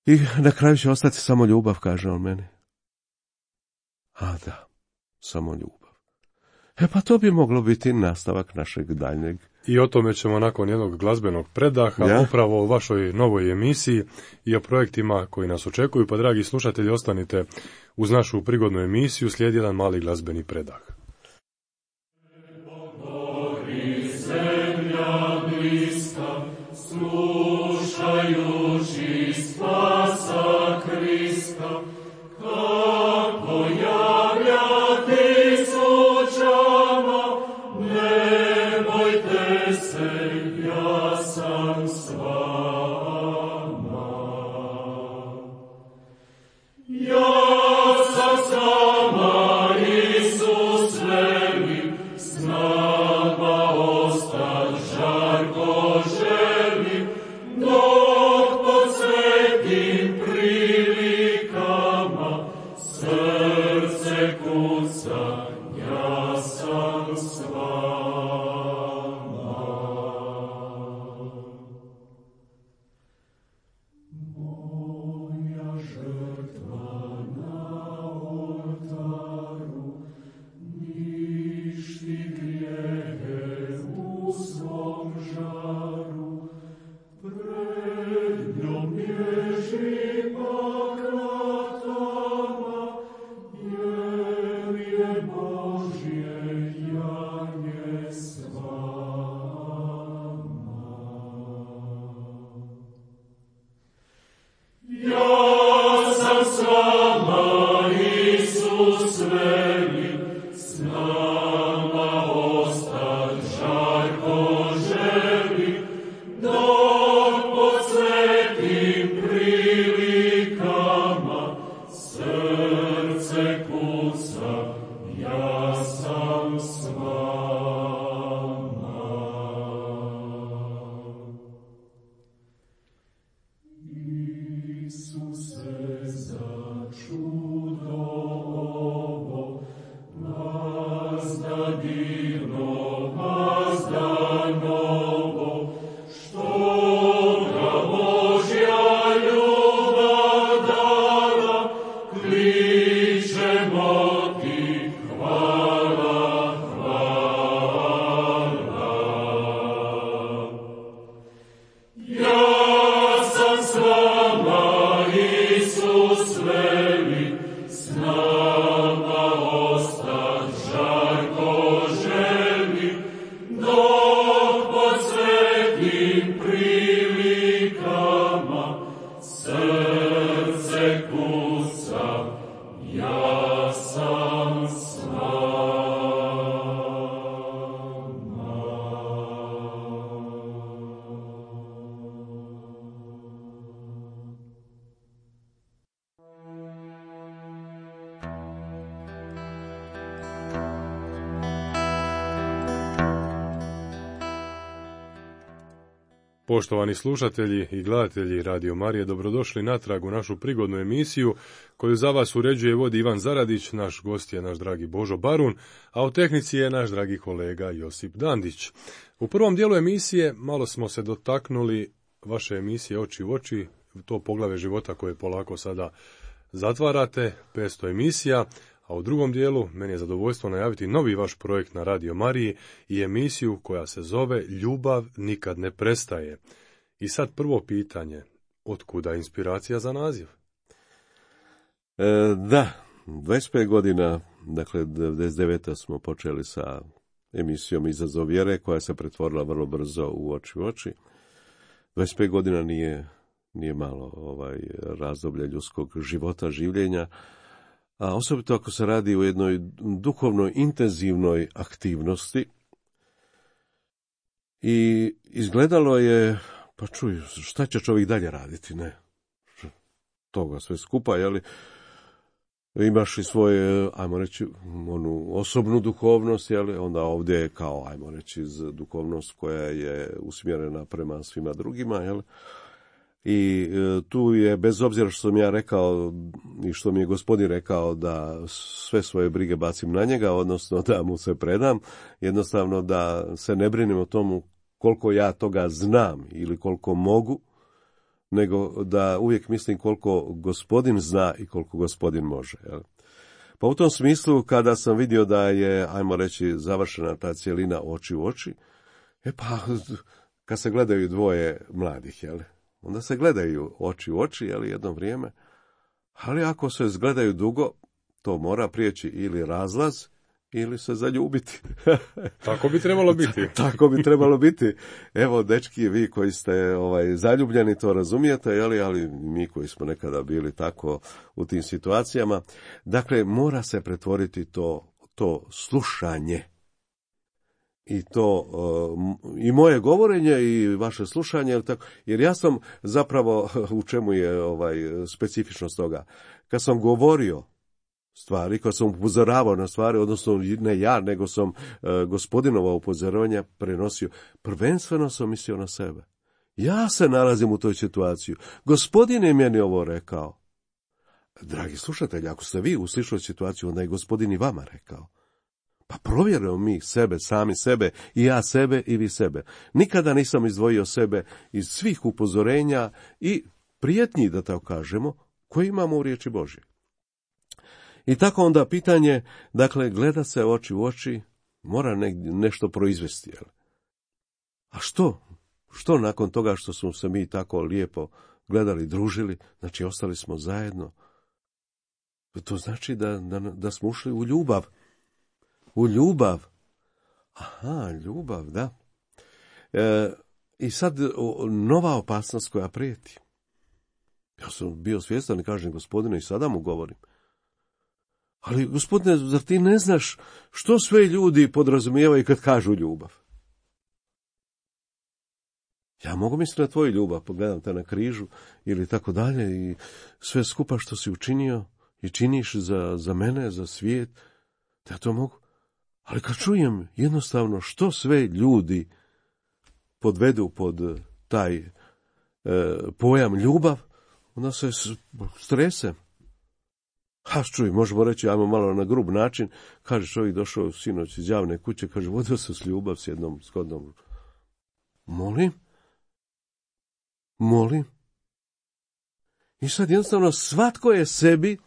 I na kraju će ostati samo ljubav, kaže on meni. A da, samo ljubav. E pa to bi moglo biti nastavak našeg daljnjeg. I o tome ćemo nakon jednog glazbenog predaha, ja? Upravo o vašoj novoj emisiji i o projektima koji nas očekuju, pa dragi slušatelji, ostanite uz našu prigodnu emisiju, slijedi jedan mali glazbeni predah. Slušajući spasa Krista, kako javljati slučama, ne bojte se, ja sam s vama. Ja sam s vama. Poštovani slušatelji i gledatelji Radio Marije, dobrodošli natrag u našu prigodnu emisiju koju za vas uređuje i vodi Ivan Zaradić, naš gost je naš dragi Božo Barun, a u tehnici je naš dragi kolega Josip Dandić. U prvom dijelu emisije malo smo se dotaknuli vaše emisije Oči u oči, to poglavlje života koje polako sada zatvarate, petsto emisija, a u drugom dijelu meni je zadovoljstvo najaviti novi vaš projekt na Radio Mariji i emisiju koja se zove Ljubav nikad ne prestaje. I sad prvo pitanje, otkuda inspiracija za naziv? E, da, dvadeset pet godina, dakle devedeset devete smo počeli sa emisijom Izazov vjere koja se pretvorila vrlo brzo u Oči u oči. dvadeset pet godina nije, nije malo ovaj razdoblje ljudskog života, življenja, a osobito ako se radi o jednoj duhovnoj intenzivnoj aktivnosti. I izgledalo je, pa čuj, šta će čovjek dalje raditi, ne? Toga sve skupa, jeli? Imaš i svoje, ajmo reći, onu osobnu duhovnost, jeli? Onda ovdje je kao, ajmo reći, duhovnost koja je usmjerena prema svima drugima, jeli? I tu je, bez obzira što sam ja rekao i što mi je gospodin rekao da sve svoje brige bacim na njega, odnosno da mu se predam, jednostavno da se ne brinem o tomu koliko ja toga znam ili koliko mogu, nego da uvijek mislim koliko gospodin zna i koliko gospodin može. Jel? Pa u tom smislu, kada sam vidio da je, ajmo reći, završena ta cjelina Oči u oči, e pa, kad se gledaju dvoje mladih, jel? Onda se gledaju oči u oči, jel, jedno vrijeme, ali ako se zgledaju dugo, to mora prijeći ili razlaz, ili se zaljubiti. Tako bi trebalo biti. Tako bi trebalo biti. Evo, dečki, vi koji ste ovaj, zaljubljeni, to razumijete, jeli, ali mi koji smo nekada bili tako u tim situacijama. Dakle, mora se pretvoriti to, to slušanje. I to, i moje govorenje i vaše slušanje, jer ja sam zapravo, u čemu je ovaj specifičnost toga, kad sam govorio stvari, kad sam upozoravao na stvari, odnosno ne ja, nego sam gospodinova upozoravanja prenosio, prvenstveno sam mislio na sebe. Ja se nalazim u toj situaciji. Gospodin je meni ovo rekao. Dragi slušatelji, ako ste vi u sličnoj situaciji, onda je Gospodin i vama rekao. Pa provjerimo mi sebe, sami sebe, i ja sebe i vi sebe. Nikada nisam izdvojio sebe iz svih upozorenja i prijetnji, da tako kažemo, koje imamo u riječi Božje. I tako onda pitanje, dakle, gleda se oči u oči, mora ne, nešto proizvesti. Jel? A što? Što nakon toga što smo se mi tako lijepo gledali, družili, znači ostali smo zajedno? To znači da, da, da smo ušli u ljubav. U ljubav. Aha, ljubav, da. E, I sad o, nova opasnost koja prijeti. Ja sam bio svjestan i kažem, Gospodine, i sada mu govorim. Ali, Gospodine, zar ti ne znaš što sve ljudi podrazumijevaju kad kažu ljubav? Ja mogu misliti na tvoju ljubav, pogledam te na križu ili tako dalje i sve skupa što si učinio i činiš za, za mene, za svijet, da ja to mogu. Ali kad čujem jednostavno što sve ljudi podvedu pod taj e, pojam ljubav, onda se stresem. Ha, čuj, možemo reći, ajmo malo na grub način, kaže čovjek došao sinoć iz javne kuće, kaže, vodio se s ljubav s jednom skodnom. Molim? Molim? I sad jednostavno svatko je sebi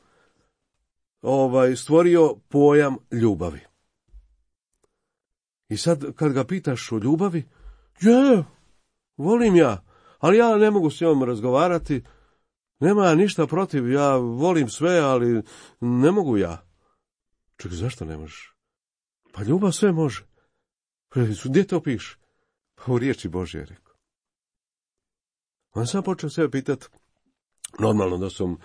ovaj, stvorio pojam ljubavi. I sad kad ga pitaš o ljubavi, je, volim ja, ali ja ne mogu s njom razgovarati, nema ništa protiv, ja volim sve, ali ne mogu ja. Čekaj, zašto ne možeš? Pa ljubav sve može. Gdje to piše? Pa u riječi Božje je rekao. On sam počeo sebe pitati, normalno da sam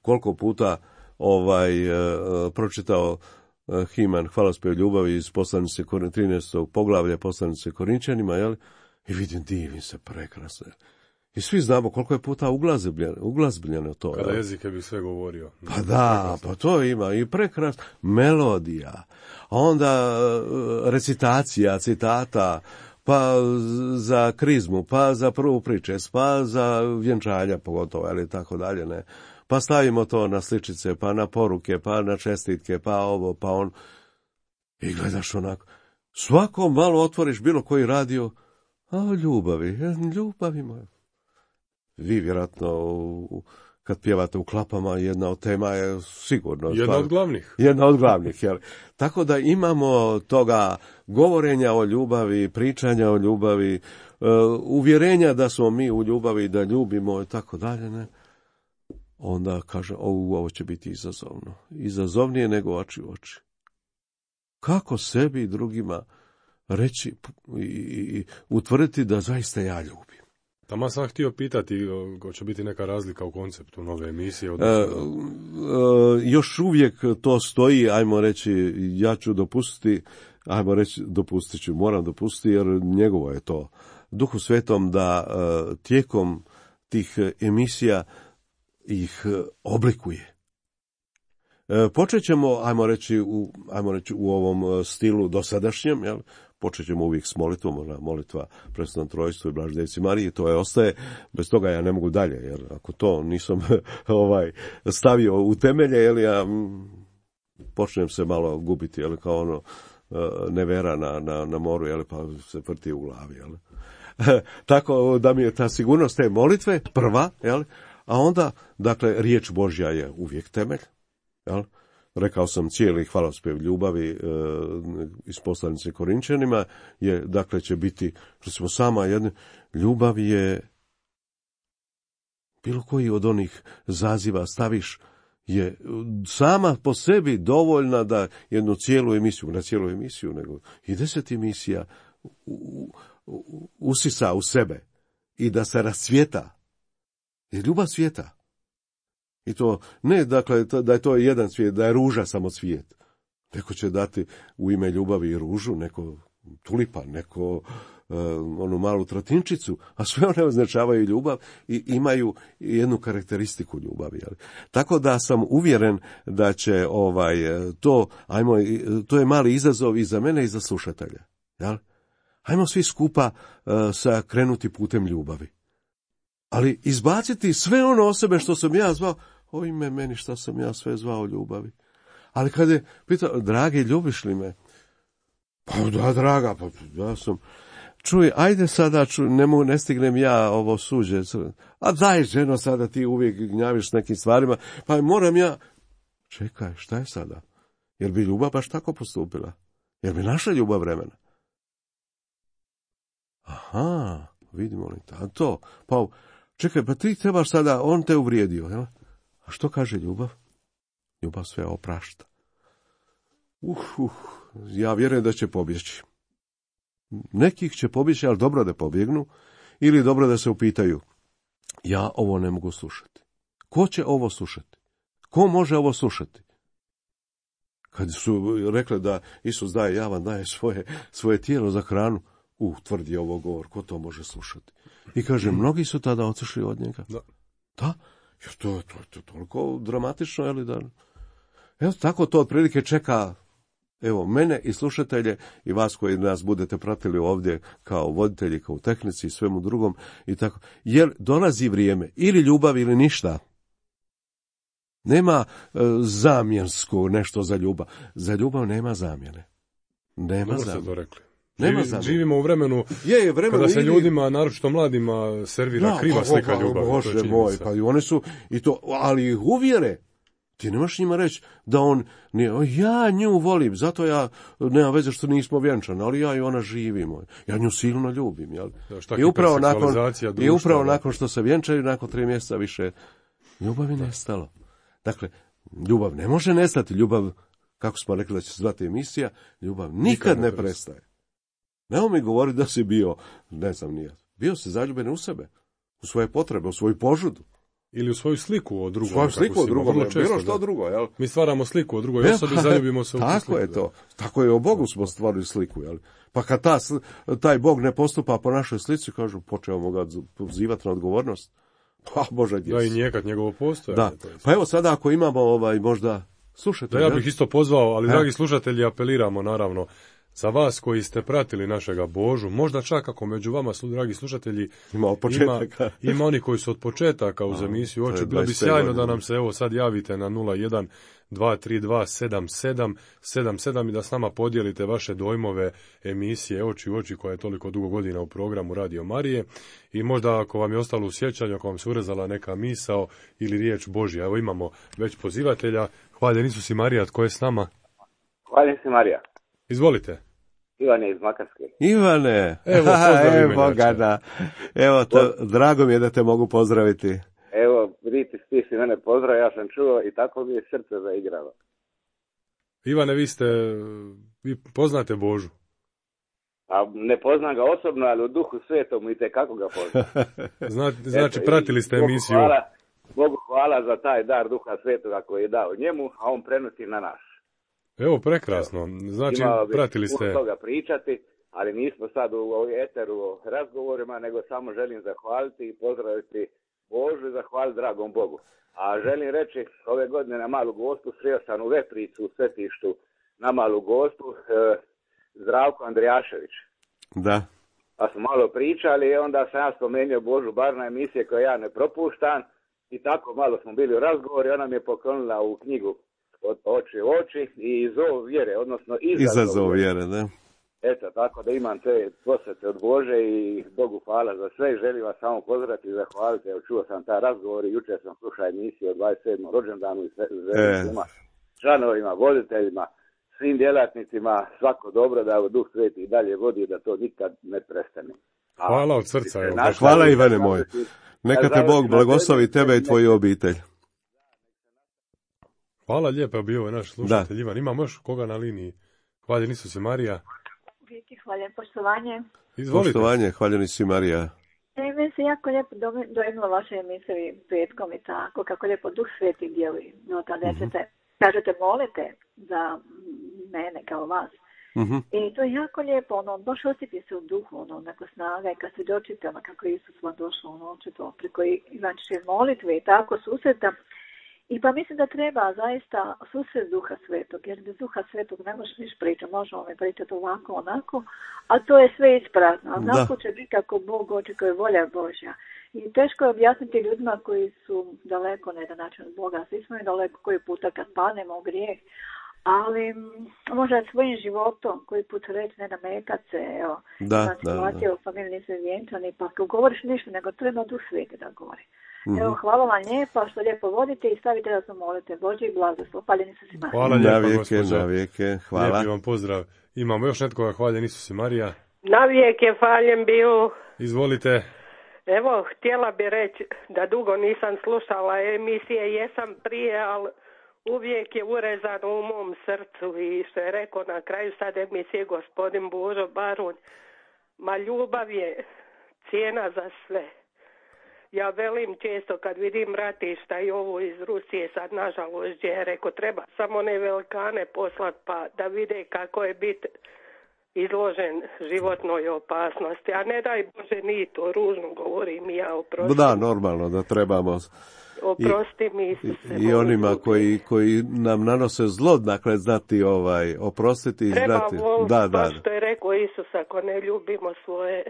koliko puta ovaj uh, pročitao uh, Himan, hvalospjev ljubavi iz poslanice trinaestog poglavlja poslanice Korinčanima, jel? I vidim, divim se, prekrasno. I svi znamo koliko je puta uglazbljeno to. Kada jezike bi sve govorio. Pa da, pa to ima i prekrasno. Melodija, a onda recitacija, citata, pa za krizmu, pa za prvu pričest, pa za vjenčanja pogotovo, ali tako dalje, ne. Pa stavimo to na sličice, pa na poruke, pa na čestitke, pa ovo, pa on. I gledaš onako. Svako malo otvoriš bilo koji radio, a ljubavi, ljubavi moja. Vi vjerojatno kad pjevate u klapama, jedna od tema je sigurno. Jedna stvar, od glavnih. Jedna od glavnih, jel? Tako da imamo toga govorenja o ljubavi, pričanja o ljubavi, uh, uvjerenja da smo mi u ljubavi, da ljubimo i tako dalje, ne? Onda kaže, ovo, ovo će biti izazovno. Izazovnije nego oči u oči. Kako sebi i drugima reći i, i utvrditi da zaista ja ljubim. Tamo sam htio pitati, hoće biti neka razlika u konceptu nove emisije? Odnosno... E, e, još uvijek to stoji, ajmo reći, ja ću dopustiti, ajmo reći, dopustit ću, moram dopustiti, jer njegovo je to. Duhu Svetom da e, tijekom tih emisija ih oblikuje. E, počet ćemo, ajmo reći, u, ajmo reći, u ovom stilu dosadašnjem, jel? Počet ćemo uvijek s molitvom, ona molitva Presvetom Trojstvu i Blaždejci Mariji, to je ostaje, bez toga ja ne mogu dalje, jer ako to nisam ovaj stavio u temelje, jel, ja počnem se malo gubiti, jel, kao ono nevera na, na, na moru, jel, pa se vrti u glavi, jel. Tako da mi je ta sigurnost te molitve prva, jel, a onda, dakle, riječ Božja je uvijek temelj, jel. Rekao sam, cijeli hvalospjev ljubavi e, iz poslanice Korinčanima je, dakle, će biti, recimo, sama jedna, ljubav je, bilo koji od onih zaziva staviš, je sama po sebi dovoljna da jednu cijelu emisiju, na cijelu emisiju, nego i deset emisija u, u, usisa u sebe i da se rascvjeta. Je ljubav svijeta. I to ne, dakle, da je to jedan svijet, da je ruža samo svijet. Neko će dati u ime ljubavi i ružu, neko tulipan, neko uh, onu malu trotinčicu, a sve one označavaju ljubav i imaju jednu karakteristiku ljubavi. Jel? Tako da sam uvjeren da će ovaj to, ajmo, to je mali izazov i za mene i za slušatelja. Jel? Ajmo svi skupa uh, sa krenuti putem ljubavi. Ali izbaciti sve ono o sebe što sam ja zvao, oj me meni šta sam ja sve zvao ljubavi. Ali kad je pitao, dragi, ljubiš li me? Pa da, draga, pa ja sam... Čuj, ajde sada, čuj, ne, mogu, ne stignem ja ovo suđe. A daj, ženo, sada ti uvijek gnjaviš s nekim stvarima. Pa moram ja... Čekaj, šta je sada? Jer bi ljubav baš tako postupila? Jer bi naša ljubav vremena? Aha, vidimo li to? Pa, čekaj, pa ti trebaš sada, on te uvrijedio, jel? A što kaže ljubav? Ljubav sve oprašta. Uh, uh, ja vjerujem da će pobjeći. Nekih će pobjeći, ali dobro da pobjegnu, ili dobro da se upitaju, ja ovo ne mogu slušati. Ko će ovo slušati? Ko može ovo slušati? Kad su rekli da Isus daje, ja vam daje svoje, svoje tijelo za hranu, uh, tvrdi ovo govor, ko to može slušati? I kaže, mnogi su tada otišli od njega. Da. Da? Jer to, to, to je toliko dramatično, je li da... Evo, tako to otprilike čeka, evo, mene i slušatelje i vas koji nas budete pratili ovdje kao voditelji, kao tehnici i svemu drugom i tako. Jer dolazi vrijeme, ili ljubav ili ništa. Nema e, zamjensko nešto za ljubav. Za ljubav nema zamjene. Nema Dobro zamjene. ste to rekli. Nema Živi, živimo u vremenu, je, je vremenu kada se ili... ljudima, naročito mladima, servira da, kriva pa, slika pa, ljubavi. Bože moj, pa i oni su, i to, ali ih uvjere. Ti nemaš njima reći da on, nije, ja nju volim, zato ja, nema veze što nismo vjenčani, ali ja i ona živimo. Ja nju silno ljubim, jel? Da, I upravo, nakon, društva, I upravo nakon što se vjenčaju, nakon tri mjeseca više, ljubav je nestalo. Dakle, ljubav ne može nestati, ljubav, kako smo rekli da će se zvati emisija, ljubav nikad, nikad ne, ne prestaje. Nemo mi govoriti da si bio, ne znam nije, bio si zaljubljen u sebe, u svoje potrebe, u svoju požudu. Ili u svoju sliku o drugom. Svoju sliku o drugom, bilo što drugo, jel? Mi stvaramo sliku o drugoj osobi, zaljubimo se u tako sliku. Tako je to, tako je o Bogu smo stvorili sliku, jel? Pa kad ta, taj Bog ne postupa po našoj slici, kažu, počeo ga pozivati na odgovornost. Pa Bože, gdje da, i njekat njegovo postojanje. Da, pa evo sada ako imamo ovaj možda slušatelja. Da, ja bih isto pozvao, ali e? dragi slušatelji, apeliramo naravno za vas koji ste pratili našega Božu, možda čak ako među vama, dragi slušatelji, ima, ima, ima oni koji su od početaka uz emisiju Oči, bilo bi sjajno da nam se evo sad javite na nula jedan dva tri dva sedam sedam sedam sedam i da s nama podijelite vaše dojmove emisije Oči u oči koja je toliko dugo godina u programu Radio Marije i možda ako vam je ostalo u sjećanju, ako vam se urezala neka misao ili riječ Božja. Evo imamo već pozivatelja. Hvaljen Isus i Marija, tko je s nama? Hvaljen si Marija. Izvolite. Ivane iz Makarske. Ivane, evo, pozdravi me. Bogana. Evo, to, drago mi je da te mogu pozdraviti. Evo, vidite, ti si mene pozdrav, ja sam čuo i tako mi je srce zaigralo. Ivane, vi ste, vi poznate Božu? A ne poznam ga osobno, ali u duhu svetom i tekako ga poznam. Znači, znači pratili ste emisiju. Bogu hvala, Bogu hvala za taj dar duha svetoga koji je dao njemu, a on prenosi na nas. Evo, prekrasno. Znači, pratili ste... Imao toga pričati, ali nismo sad u eteru o razgovorima, nego samo želim zahvaliti i pozdraviti Božu i zahvaliti dragom Bogu. A želim reći, ove godine na Malu Gospu sreo sam u Vepricu, u Svetištu na Malu Gospu, eh, Zdravko Andrijašević. Da. Pa smo malo pričali i onda sam ja spomenuo Božu bar na emisije koje ja ne propuštam i tako malo smo bili u razgovoru i ona mi je poklonila u knjigu Od oči u oči i zov vjere, odnosno izazov, izazov vjere, da. Eto, tako da imam te posvete od Bože i Bogu hvala za sve i želim vas samo pozdraviti i zahvaliti. Evo, čuo sam taj razgovor i jučer sam slušao emisiju o dvadeset sedmom rođendanu i želim e. članovima, voditeljima, svim djelatnicima, svako dobro da u Duh Sveti i dalje vodi da to nikad ne prestane. A, hvala od srca. Evo, hvala Ivane moj. Neka te Bog blagoslovi tebe i tvoju obitelj. Hvala lijepo, bio je naš slušatelj da. Ivan. Imamo još koga na liniji? Hvaljen Isus i Marija. Vijeki, hvaljen, poštovanje. Izvolite. Poštovanje, hvaljen Isus i Marija. E, meni se jako lijepo dojmilo vaše emisije petkom i tako, kako lijepo Duh Sveti djeluje. No, tada mm-hmm. ćete, kažete, molite za mene kao vas. Mm-hmm. I to je jako lijepo, ono, baš osjeti se u duhu, ono, neko snaga i kad se dočite, ono, kako je Isus vam došao, ono, očito, preko Ivančiće molitve i tako susreta. I pa mislim da treba zaista susret Duha Svetog, jer bez Duha Svetog ne možeš niš pričati, možemo mi pričati ovako, onako, a to je sve isprazno. A onako će biti ako Bog očekuje volja Božja. I teško je objasniti ljudima koji su daleko na jedan način od Boga. Svi smo i daleko koji puta kad padnemo u grijeh. Ali možda svojim životom koji put reći ne namekat se, evo, da, situacija u familiji nisu vjenčani, pa ako govoriš ništa, nego treba Duh Sveti da govori. Mm-hmm. Evo, hvala vam lijepa što lijepo vodite i stavite da se molite. Bože i blagoslov. Hvaljen Isus i Marija. Hvala lijepa, na vijeke, gospođo. na vijeke, hvala. Lijepi vam pozdrav. Imamo još netkoga, hvaljen Isus i Marija. Na vijeke hvaljen bio. Izvolite. Evo, htjela bi reći da dugo nisam slušala emisije, jesam prije, ali uvijek je urezano u mom srcu i što je rekao na kraju sad emisije gospodin Božo Barun, ma ljubav je cijena za sve. Ja velim često kad vidim ratišta i ovo iz Rusije sad nažalost gdje je rekao treba samo ne velikane poslat pa da vide kako je bit izložen životnoj opasnosti, a ne daj Bože ni to ružno govorim ja oprosti. Da, normalno da trebamo oprosti mi Isuse, i, i onima koji, koji nam nanose zlo, dakle znati ovaj, oprostiti i treba znati. Voliti, da, da. što je rekao Isus, ako ne ljubimo svoje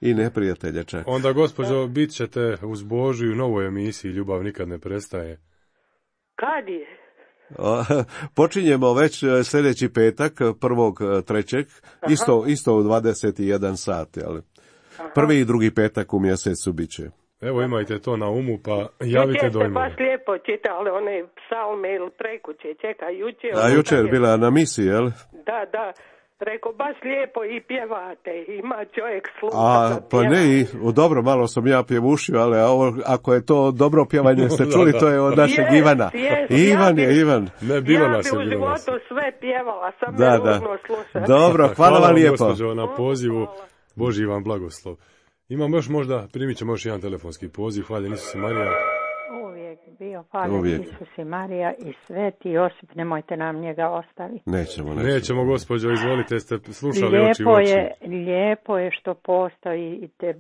i neprijatelje čak. Onda, gospođo, bit ćete uz Božju u novoj emisiji Ljubav nikad ne prestaje. Kad je? O, počinjemo već sljedeći petak, prvog trećeg, isto, isto u dvadeset jedan sat, ali prvi i drugi petak u mjesecu bit će. Evo, imajte to na umu, pa javite dojmove. Jučer ste baš lijepo čitali one psalme ili prekuće, čekaj, jučer. A jučer je bila na misiji, jel? Da, da. Rekao, baš lijepo i pjevate, ima čovjek sluha. A, pa ne, i, dobro, malo sam ja pjevušio, ali ovo, ako je to dobro pjevanje, ste čuli, to je od našeg yes, Ivana. Yes, Ivan ja je, Ivan. Ne, bilo ja nas je, bi u bilo nas životu sve pjevala, sam da, me da. ružno slušati. Dobro, hvala, hvala vam vam, lijepo. gospođo, na pozivu. Boži vam blagoslov. Imamo još možda, primit ćemo još jedan telefonski poziv. Hvala Isus i Marija. Uvijek bio hvaljen Isus i Marija i Sveti Josip, nemojte nam njega ostaviti. Nećemo, nećemo. Nećemo, gospođo, izvolite, ste slušali lijepo oči u oči. Je, lijepo je što postojite,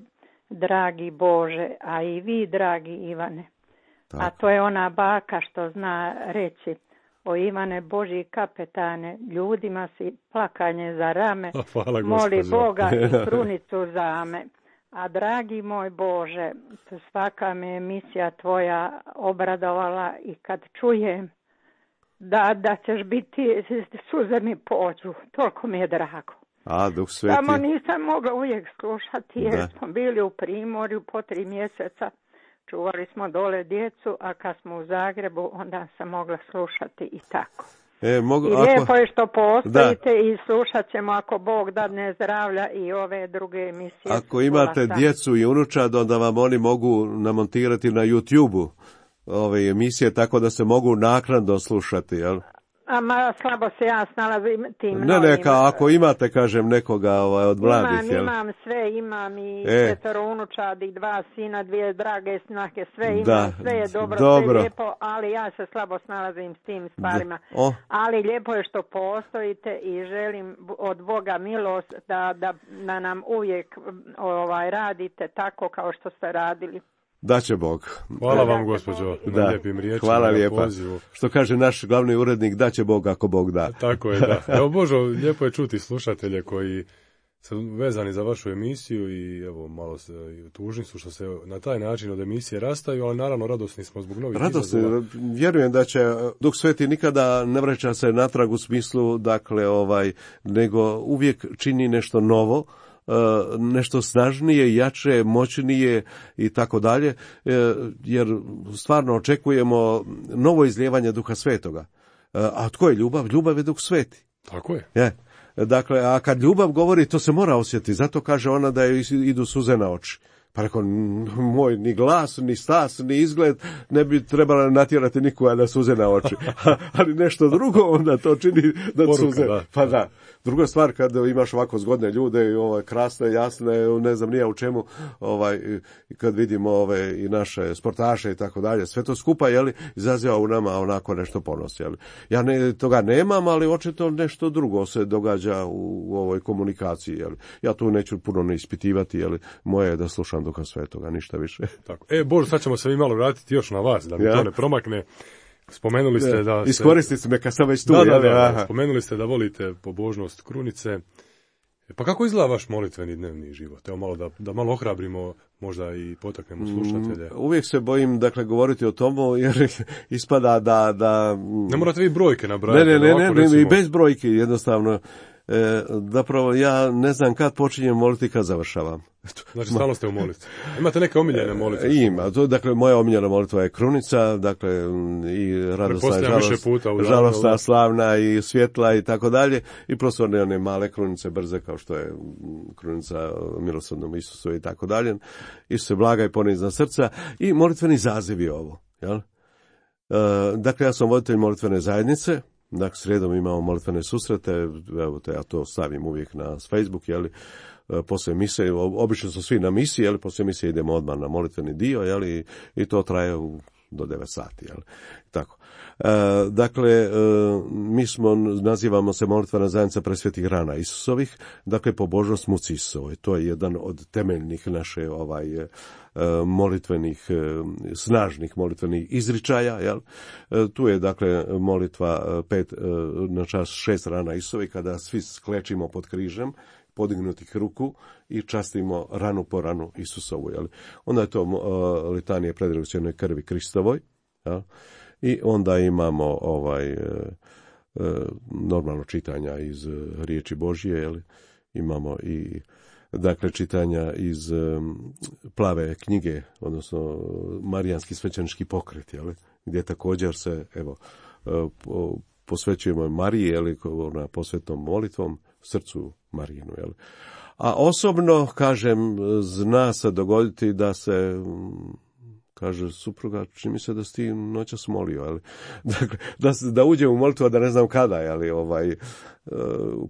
dragi Bože, a i vi, dragi Ivane. Tako. A to je ona baka što zna reći, o Ivane Božji kapetane, ljudima si plakanje za rame, hvala, moli Boga i krunicu za me. A dragi moj Bože, svaka me emisija tvoja obradovala i kad čujem da, da ćeš biti, suze mi pođu, toliko mi je drago. A, Duh Sveti. Samo nisam mogla uvijek slušati jer da. Smo bili u Primorju po tri mjeseca, čuvali smo dole djecu, a kad smo u Zagrebu onda sam mogla slušati i tako. E, mogu, I ako... lijepo je što postojite da. I slušat ćemo ako Bog dadne zdravlja i ove druge emisije. Ako imate djecu i unučad, onda vam oni mogu namontirati na YouTube-u ove emisije, tako da se mogu naknadno slušati, jel? Ama slabo se ja snalazim tim ne, novim. Ne, ka, ako imate, kažem, nekoga ovaj, od mladih, imam, jel? Imam sve, imam i e. četvero unučadi, dva sina, dvije drage snake, sve imam, da. sve je dobro, dobro, sve lijepo, ali ja se slabo snalazim s tim stvarima. Oh. Ali lijepo je što postojite i želim od Boga milost da, da, da nam uvijek ovaj, radite tako kao što ste radili. Da će Bog. Hvala vam, gospođo, na da. lijepim riječima. Hvala lijepa. Pozivu. Što kaže naš glavni urednik, da će Bog ako Bog da. Tako je, da. Evo, Božo, lijepo je čuti slušatelje koji su vezani za vašu emisiju i evo, malo se, tužni su što se na taj način od emisije rastaju, ali naravno radosni smo zbog novih radosni, izazova. Vjerujem da će Duh Sveti nikada ne vraća se natrag u smislu, dakle, ovaj, nego uvijek čini nešto novo, nešto snažnije, jače, moćnije i tako dalje, jer stvarno očekujemo novo izlijevanje Duha Svetoga. A tko je ljubav? Ljubav je Duh Sveti. Tako je. Je. Dakle, a kad ljubav govori, to se mora osjetiti. Zato kaže ona da joj idu suze na oči. Pa rekao, moj ni glas, ni stas, ni izgled ne bi trebala natjerati nikoga da suze na oči. Ali nešto drugo onda to čini da Poruka, suze. Da. Pa da. Druga stvar, kad imaš ovako zgodne ljude i ovaj, krasne, jasne, ne znam nija u čemu, ovaj, kad vidimo ove i naše sportaše i tako dalje, sve to skupa, jeli, izaziva u nama onako nešto ponos, jeli. Ja ne, toga nemam, ali očito nešto drugo se događa u, u ovoj komunikaciji, jeli. Ja tu neću puno ne ispitivati, jeli, moje je da slušam Duha Svetoga, ništa više. Tako. E, Bože, sad ćemo se mi malo vratiti još na vas, da mi ja. to ne promakne. Spomenuli ste da... Iskoristite me kad sam već tu. Da, da, da, da. Spomenuli ste da volite pobožnost krunice Pa kako izgleda vaš molitveni dnevni život? Evo malo da, da malo ohrabrimo, možda i potaknemo slušatelje. Uvijek se bojim, dakle, govoriti o tomu, jer ispada da... da ne morate vi brojke nabrajati. Ne, ne, ne, ne, ne, i bez brojki, jednostavno. E, zapravo, ja ne znam kad počinjem moliti i kad završavam. Znači, stalno ste u molitvi. Imate neke omiljene molitve? Ima. To, dakle, moja omiljena molitva je krunica, dakle, i radosna, žalost, žalostna, slavna i svjetla i tako dalje. I prosto one, one male krunice brze, kao što je krunica milosrdnom Isusu i tako dalje. Isuse blaga i ponizna srca. I molitveni zaziv je ovo. Jel? E, dakle, ja sam voditelj molitvene zajednice. Dakle, srijedom imamo molitvene susrete, evo te ja to stavim uvijek na Facebook, jeli, poslije mise, obično su svi na misiji, jeli, poslije misije idemo odmah na molitveni dio, jeli, i to traje u, do devet sati, jeli, tako. E, dakle, e, mi smo, nazivamo se molitvena zajednica presvetih rana Isusovih, dakle, pobožnost muci Isusovoj, to je jedan od temeljnih naše, ovaj, molitvenih, snažnih molitvenih izričaja, jel? Tu je, dakle, molitva pet, na čas šest rana Isusovi, kada svi sklečimo pod križem, podignutih ruku i častimo ranu po ranu Isusovu, jel? Onda je to uh, litanije predragocjenoj krvi Kristovoj, jel? I onda imamo ovaj uh, uh, normalno čitanja iz uh, riječi Božje, jel? Imamo i dakle čitanja iz um, plave knjige, odnosno Marijanski svećenički pokret, jel? Gdje također se, evo, uh, posvećujemo Mariji, jel? Ona posvetnom molitvom srcu Marijinu, jel? A osobno, kažem, zna se dogoditi da se, kaže supruga, čini mi se da si ti noćas molio, jel? Dakle, da, da uđem u molitvu, a da ne znam kada, jel? Ovaj, uh,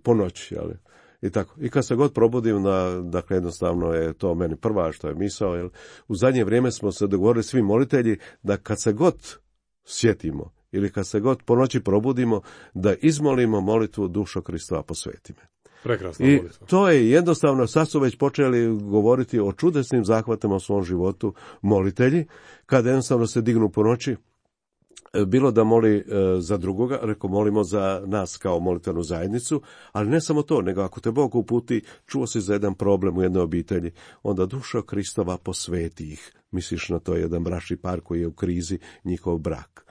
po noći, jel? I tako. I kad se god probudim, da, dakle, jednostavno je to meni prva što je misao, jel? U zadnje vrijeme smo se dogovorili svi molitelji da kad se god sjetimo ili kad se god po noći probudimo, da izmolimo molitvu dušo Kristova posveti me. Prekrasna I molitva. to je jednostavno, sad su već počeli govoriti o čudesnim zahvatima u svom životu molitelji, kada jednostavno se dignu po noći, bilo da moli e, za drugoga, reko molimo za nas kao molitvenu zajednicu, ali ne samo to, nego ako te Bog uputi, čuo si za jedan problem u jednoj obitelji, onda dušo Kristova posveti ih. Misliš na to jedan bračni par koji je u krizi, njihov brak.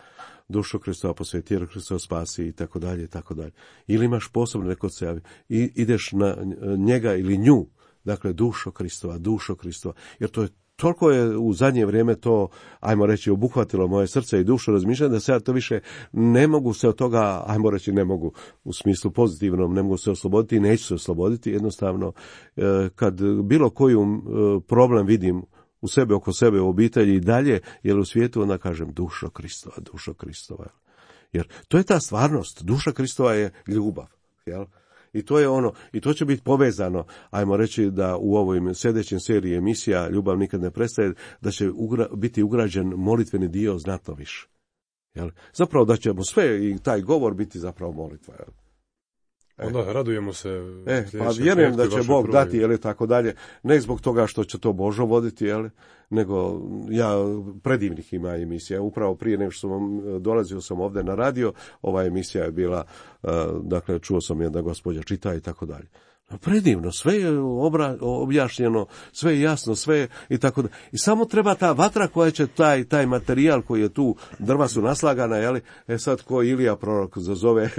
Dušo Kristova posveti, jer Kristova spasi i tako dalje i tako dalje. Ili imaš posebno neko se javi i ideš na njega ili nju, dakle dušo Kristova, dušo Kristova, jer to je toliko je u zadnje vrijeme to, ajmo reći, obuhvatilo moje srce i dušu razmišljanja, da se ja to više ne mogu se od toga, ajmo reći, ne mogu u smislu pozitivnom, ne mogu se osloboditi i neću se osloboditi. Jednostavno, kad bilo koju problem vidim u sebe, oko sebe, u obitelji i dalje, jer u svijetu, onda kažem dušo Kristova, dušo Kristova. Jer to je ta stvarnost, duša Kristova je ljubav, jel? I to je ono, i to će biti povezano, ajmo reći da u ovoj sljedećem seriji emisija Ljubav nikad ne prestaje, da će ugra, biti ugrađen molitveni dio znatno više. Jel? Zapravo da ćemo sve i taj govor biti zapravo molitva. Jel? E. Onda radujemo se. E, pa vjerujem da će Bog prvi. dati, jel, tako dalje, ne zbog toga što će to Božo voditi, jel, nego ja predivnih ima emisija. Upravo prije nego što sam dolazio sam ovdje na radio, ova emisija je bila, uh, dakle, čuo sam jedna gospođa čita i tako dalje. Predivno, sve je obra, objašnjeno, sve je jasno, sve je i tako da. I samo treba ta vatra koja će taj, taj materijal koji je tu, drva su naslagana, jeli, e sad ko Ilija prorok zazove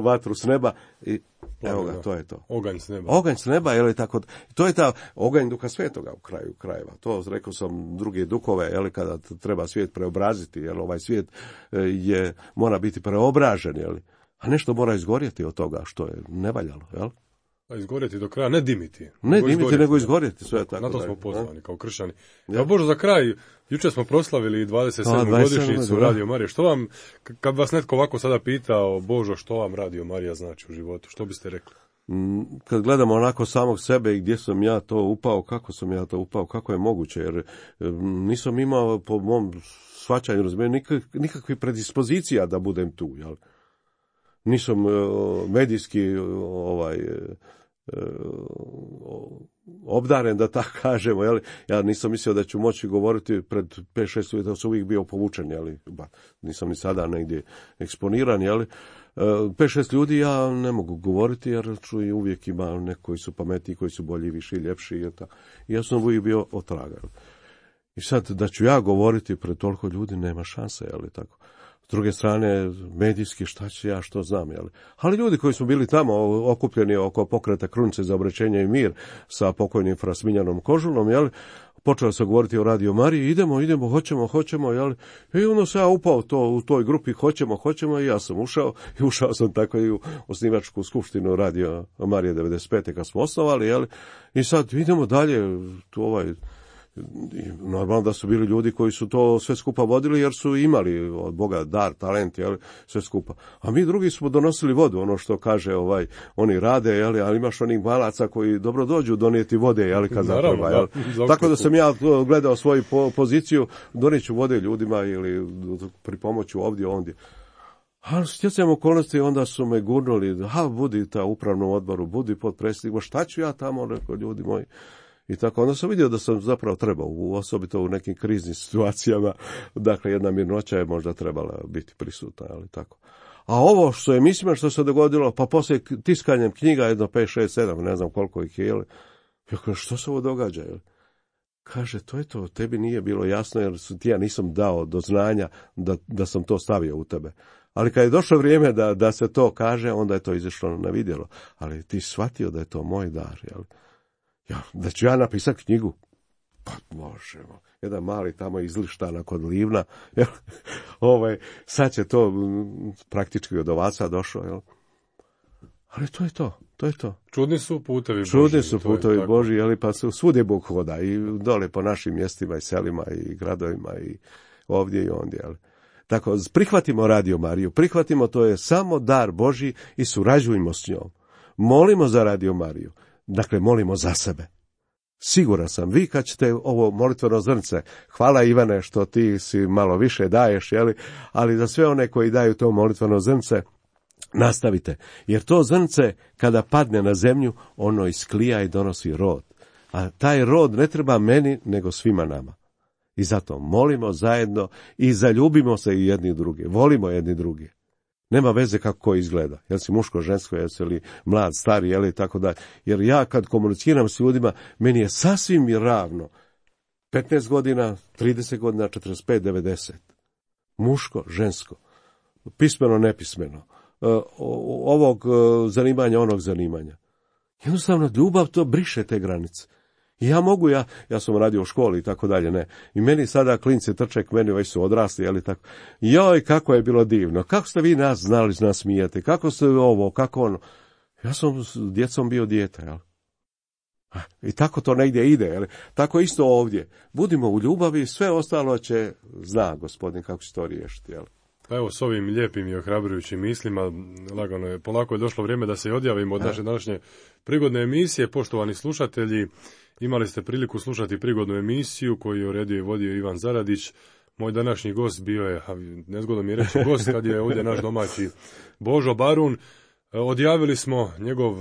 vatru s neba i evo ga, to je to. Oganj s neba. Oganj s neba, jeli, tako da. To je ta oganj duha svetoga u kraju krajeva. To rekao sam druge duhove, jeli, kada treba svijet preobraziti, jel, ovaj svijet je, mora biti preobražen, jeli, a nešto mora izgorjeti od toga što je nevaljalo, jel? A izgorjeti do kraja, ne dimiti. Ne nego dimiti, izgorjeti, nego izgorjeti, sve tako. Na to smo pozvani, kao kršćani. Ja, Bože, za kraj, jučer smo proslavili dvadeset sedmu godišnjicu Radio Marije. Što vam, kad vas netko ovako sada pitao, Božo, što vam Radio Marija znači u životu, što biste rekli? Kad gledamo onako samog sebe i gdje sam ja to upao, kako sam ja to upao, kako je moguće, jer nisam imao po mom shvaćanju, razumijem, nikakvih predispozicija da budem tu, jel? Nisam medijski ovaj obdaren, da tako kažemo, jel? Ja nisam mislio da ću moći govoriti pred pet šest uvjeta, da sam uvijek bio povučen, jel? Ba, nisam ni sada negdje eksponiran, jel? pet šest ljudi ja ne mogu govoriti, jer čuj, uvijek ima neki koji su pametniji, koji su bolji, viši, ljepši. I ja sam uvijek bio otraga. I sad, da ću ja govoriti pred toliko ljudi, nema šanse, jel' tako? S druge strane, medijski, šta će ja, što znam, jel? Ali ljudi koji su bili tamo okupljeni oko pokreta Krunice za obraćenje i mir sa pokojnim fra Smiljanom Kožulom, jel? Počeo se govoriti o Radio Mariji, idemo, idemo, hoćemo, hoćemo, jel? I onda se ja upao to, u toj grupi, hoćemo, hoćemo, i ja sam ušao, i ušao sam tako i u osnivačku skupštinu Radio Marije devedeset pete kad smo osnovali, jel? I sad idemo dalje, tu ovaj... I normalno da su bili ljudi koji su to sve skupa vodili, jer su imali od Boga dar, talent, jel, sve skupa. A mi drugi smo donosili vodu, ono što kaže ovaj, oni rade, jel, ali imaš onih malaca koji dobro dođu donijeti vode, jel, kad zatreba, jel. Tako da sam ja gledao svoju po, poziciju, donijeću vode ljudima ili pri pomoću ovdje, ondje. Ali stjecajem okolnosti onda su me gurnuli, ha, budi ta upravnom odboru, budi potpredsjednik, šta ću ja tamo, rekao, ljudi moji. I tako, onda sam vidio da sam zapravo trebao, osobito u nekim kriznim situacijama, dakle, jedna mirnoća je možda trebala biti prisutna, ali tako. A ovo što je, mislim, što se dogodilo, pa poslije tiskanjem knjiga, jedno pet, šest, sedam, ne znam koliko ih je, jel? Ja kažem, što se ovo događa, jel? Kaže, to je to, tebi nije bilo jasno, jer ti ja nisam dao do znanja da, da sam to stavio u tebe. Ali kad je došlo vrijeme da, da se to kaže, onda je to izašlo na vidjelo. Ali ti shvatio da je to moj dar, jel? Ja, da ću ja napisati knjigu? Pa možemo. Jedan mali tamo izlištana kod Livna. Jel? Ovaj, sad će to m, praktički od ovaca došlo. Jel? Ali to je to. To je to. Čudni su putevi Božji. Čudni su putevi Božji, jel? Pa su, svugdje Bog hoda. I dole po našim mjestima i selima i gradovima i ovdje i ondje. Jel? Tako, prihvatimo Radio Mariju. Prihvatimo, to je samo dar Božji i surađujmo s njom. Molimo za Radio Mariju. Dakle, molimo za sebe. Siguran sam, vi kad ćete ovo molitveno zrnce, hvala Ivane što ti si malo više daješ, jeli? Ali za sve one koji daju to molitveno zrnce, nastavite. Jer to zrnce, kada padne na zemlju, ono isklija i donosi rod. A taj rod ne treba meni, nego svima nama. I zato molimo zajedno i zaljubimo se i jedni drugi. Volimo jedni drugi. Nema veze kako ko izgleda. Jel si muško, žensko, jel si li mlad, stari, jel i tako dalje. Jer ja kad komuniciram s ljudima, meni je sasvim ravno. petnaest godina, trideset godina, četrdeset pet, devedeset. Muško, žensko. Pismeno, nepismeno. Ovog zanimanja, onog zanimanja. Jednostavno, ljubav to briše te granice. I ja mogu, ja, ja sam radio u školi i tako dalje, ne. I meni sada klinci trče k meni, već su odrasli, jel i tako. Joj, kako je bilo divno, kako ste vi nas znali nas smijete, kako ste ovo, kako ono. Ja sam s djecom bio dijete, jel. I tako to negdje ide, jel. Tako isto ovdje. Budimo u ljubavi, sve ostalo će, zna Gospodin kako će to riješiti, jel. Pa evo, s ovim lijepim i ohrabrujućim mislima, lagano je, polako je došlo vrijeme da se odjavimo od naše današnje prigodne emisije. Poštovani slušatelji, imali ste priliku slušati prigodnu emisiju koju je uredio i vodio Ivan Zaradić. Moj današnji gost bio je, nezgodno mi je reći gost, kad je ovdje naš domaći Božo Barun. Odjavili smo njegov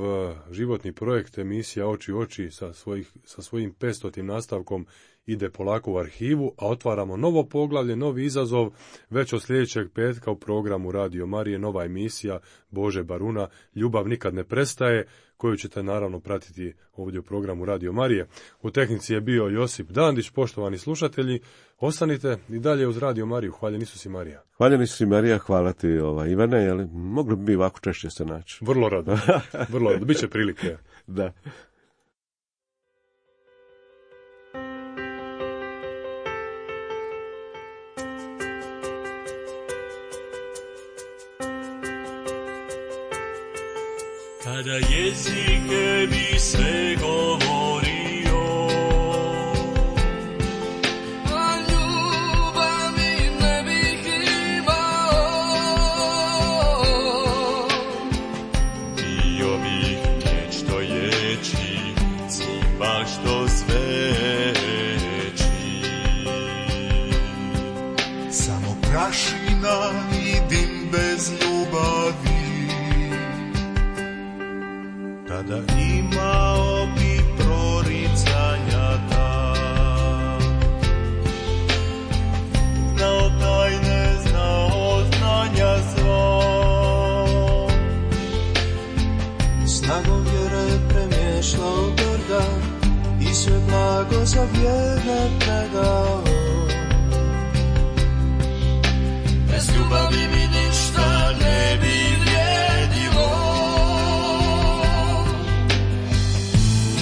životni projekt, emisija Oči u oči sa, svojih, sa svojim petstotim nastavkom ide polako u arhivu, a otvaramo novo poglavlje, novi izazov, već od sljedećeg petka u programu Radio Marije, nova emisija Bože Baruna, Ljubav nikad ne prestaje, koju ćete naravno pratiti ovdje u programu Radio Marije. U tehnici je bio Josip Dandić. Poštovani slušatelji, ostanite i dalje uz Radio Mariju. Hvaljen Isus i Marija. Hvaljen Isus i Marija, hvala ti ova, Ivane, jel, mogli bi ovako češće se naći. Vrlo rado, vrlo rado, bit će prilike. Da. Kada jezike bi sve govorio, a ljubavi ne bih imao, bio bih vječno ječi, cimba što sveći. Samo prašina i dim bez ljubavi, kada imao bi proricanja ta, znao tajne, znao znanja sva, ne šlo gorda i sve blago za vjerne predao. Bez ljubavi mi ništa ne bi vrijedilo.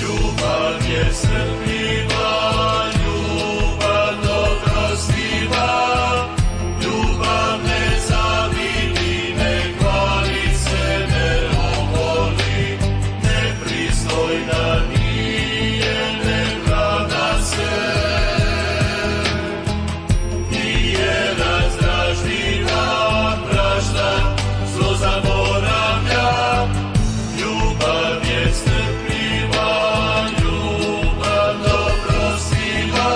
Ljubav je strpljiva, ljubav dobrostiva, ljubav ne zavidi, ne hvali se, ne oholi, nepristojna nije, ne vlada se. Nije razdražljiva, prašta, zlo zaboravlja. Ljubav je strpljiva, ljubav dobrostiva,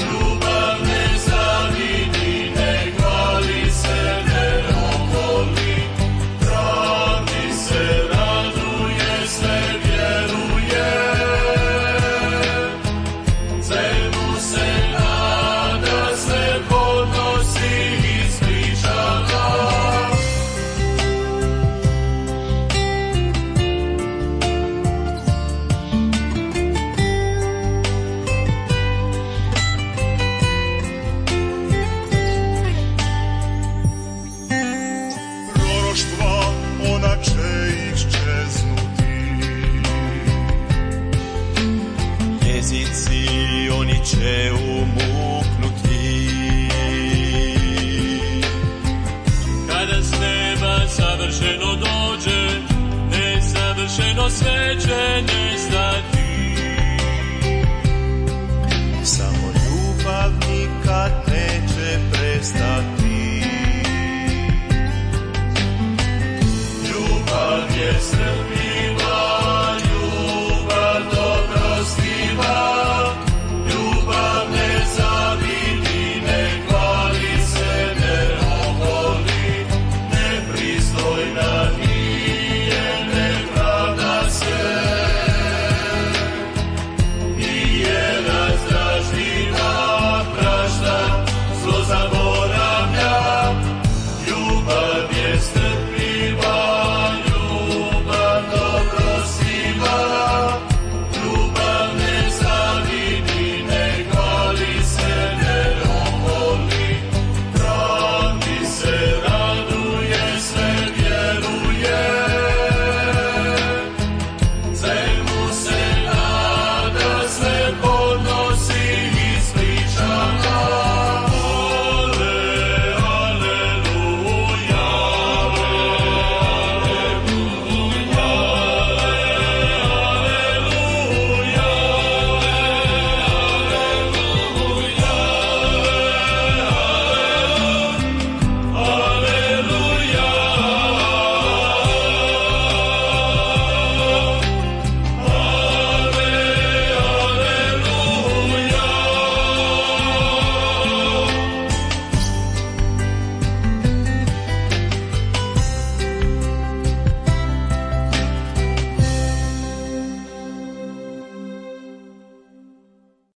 ljubav ne zavidi, ne hvali se, ne oholi, pravi se, raduje se, vjeruje, svemu se nada, sve podnosi i ispričava. Proroštva, ona će iščeznuti. Jezici, oni će umuknuti. Kada s neba savršeno dođe, nesavršeno sve će nestati. Samo ljubav nikad neće prestati.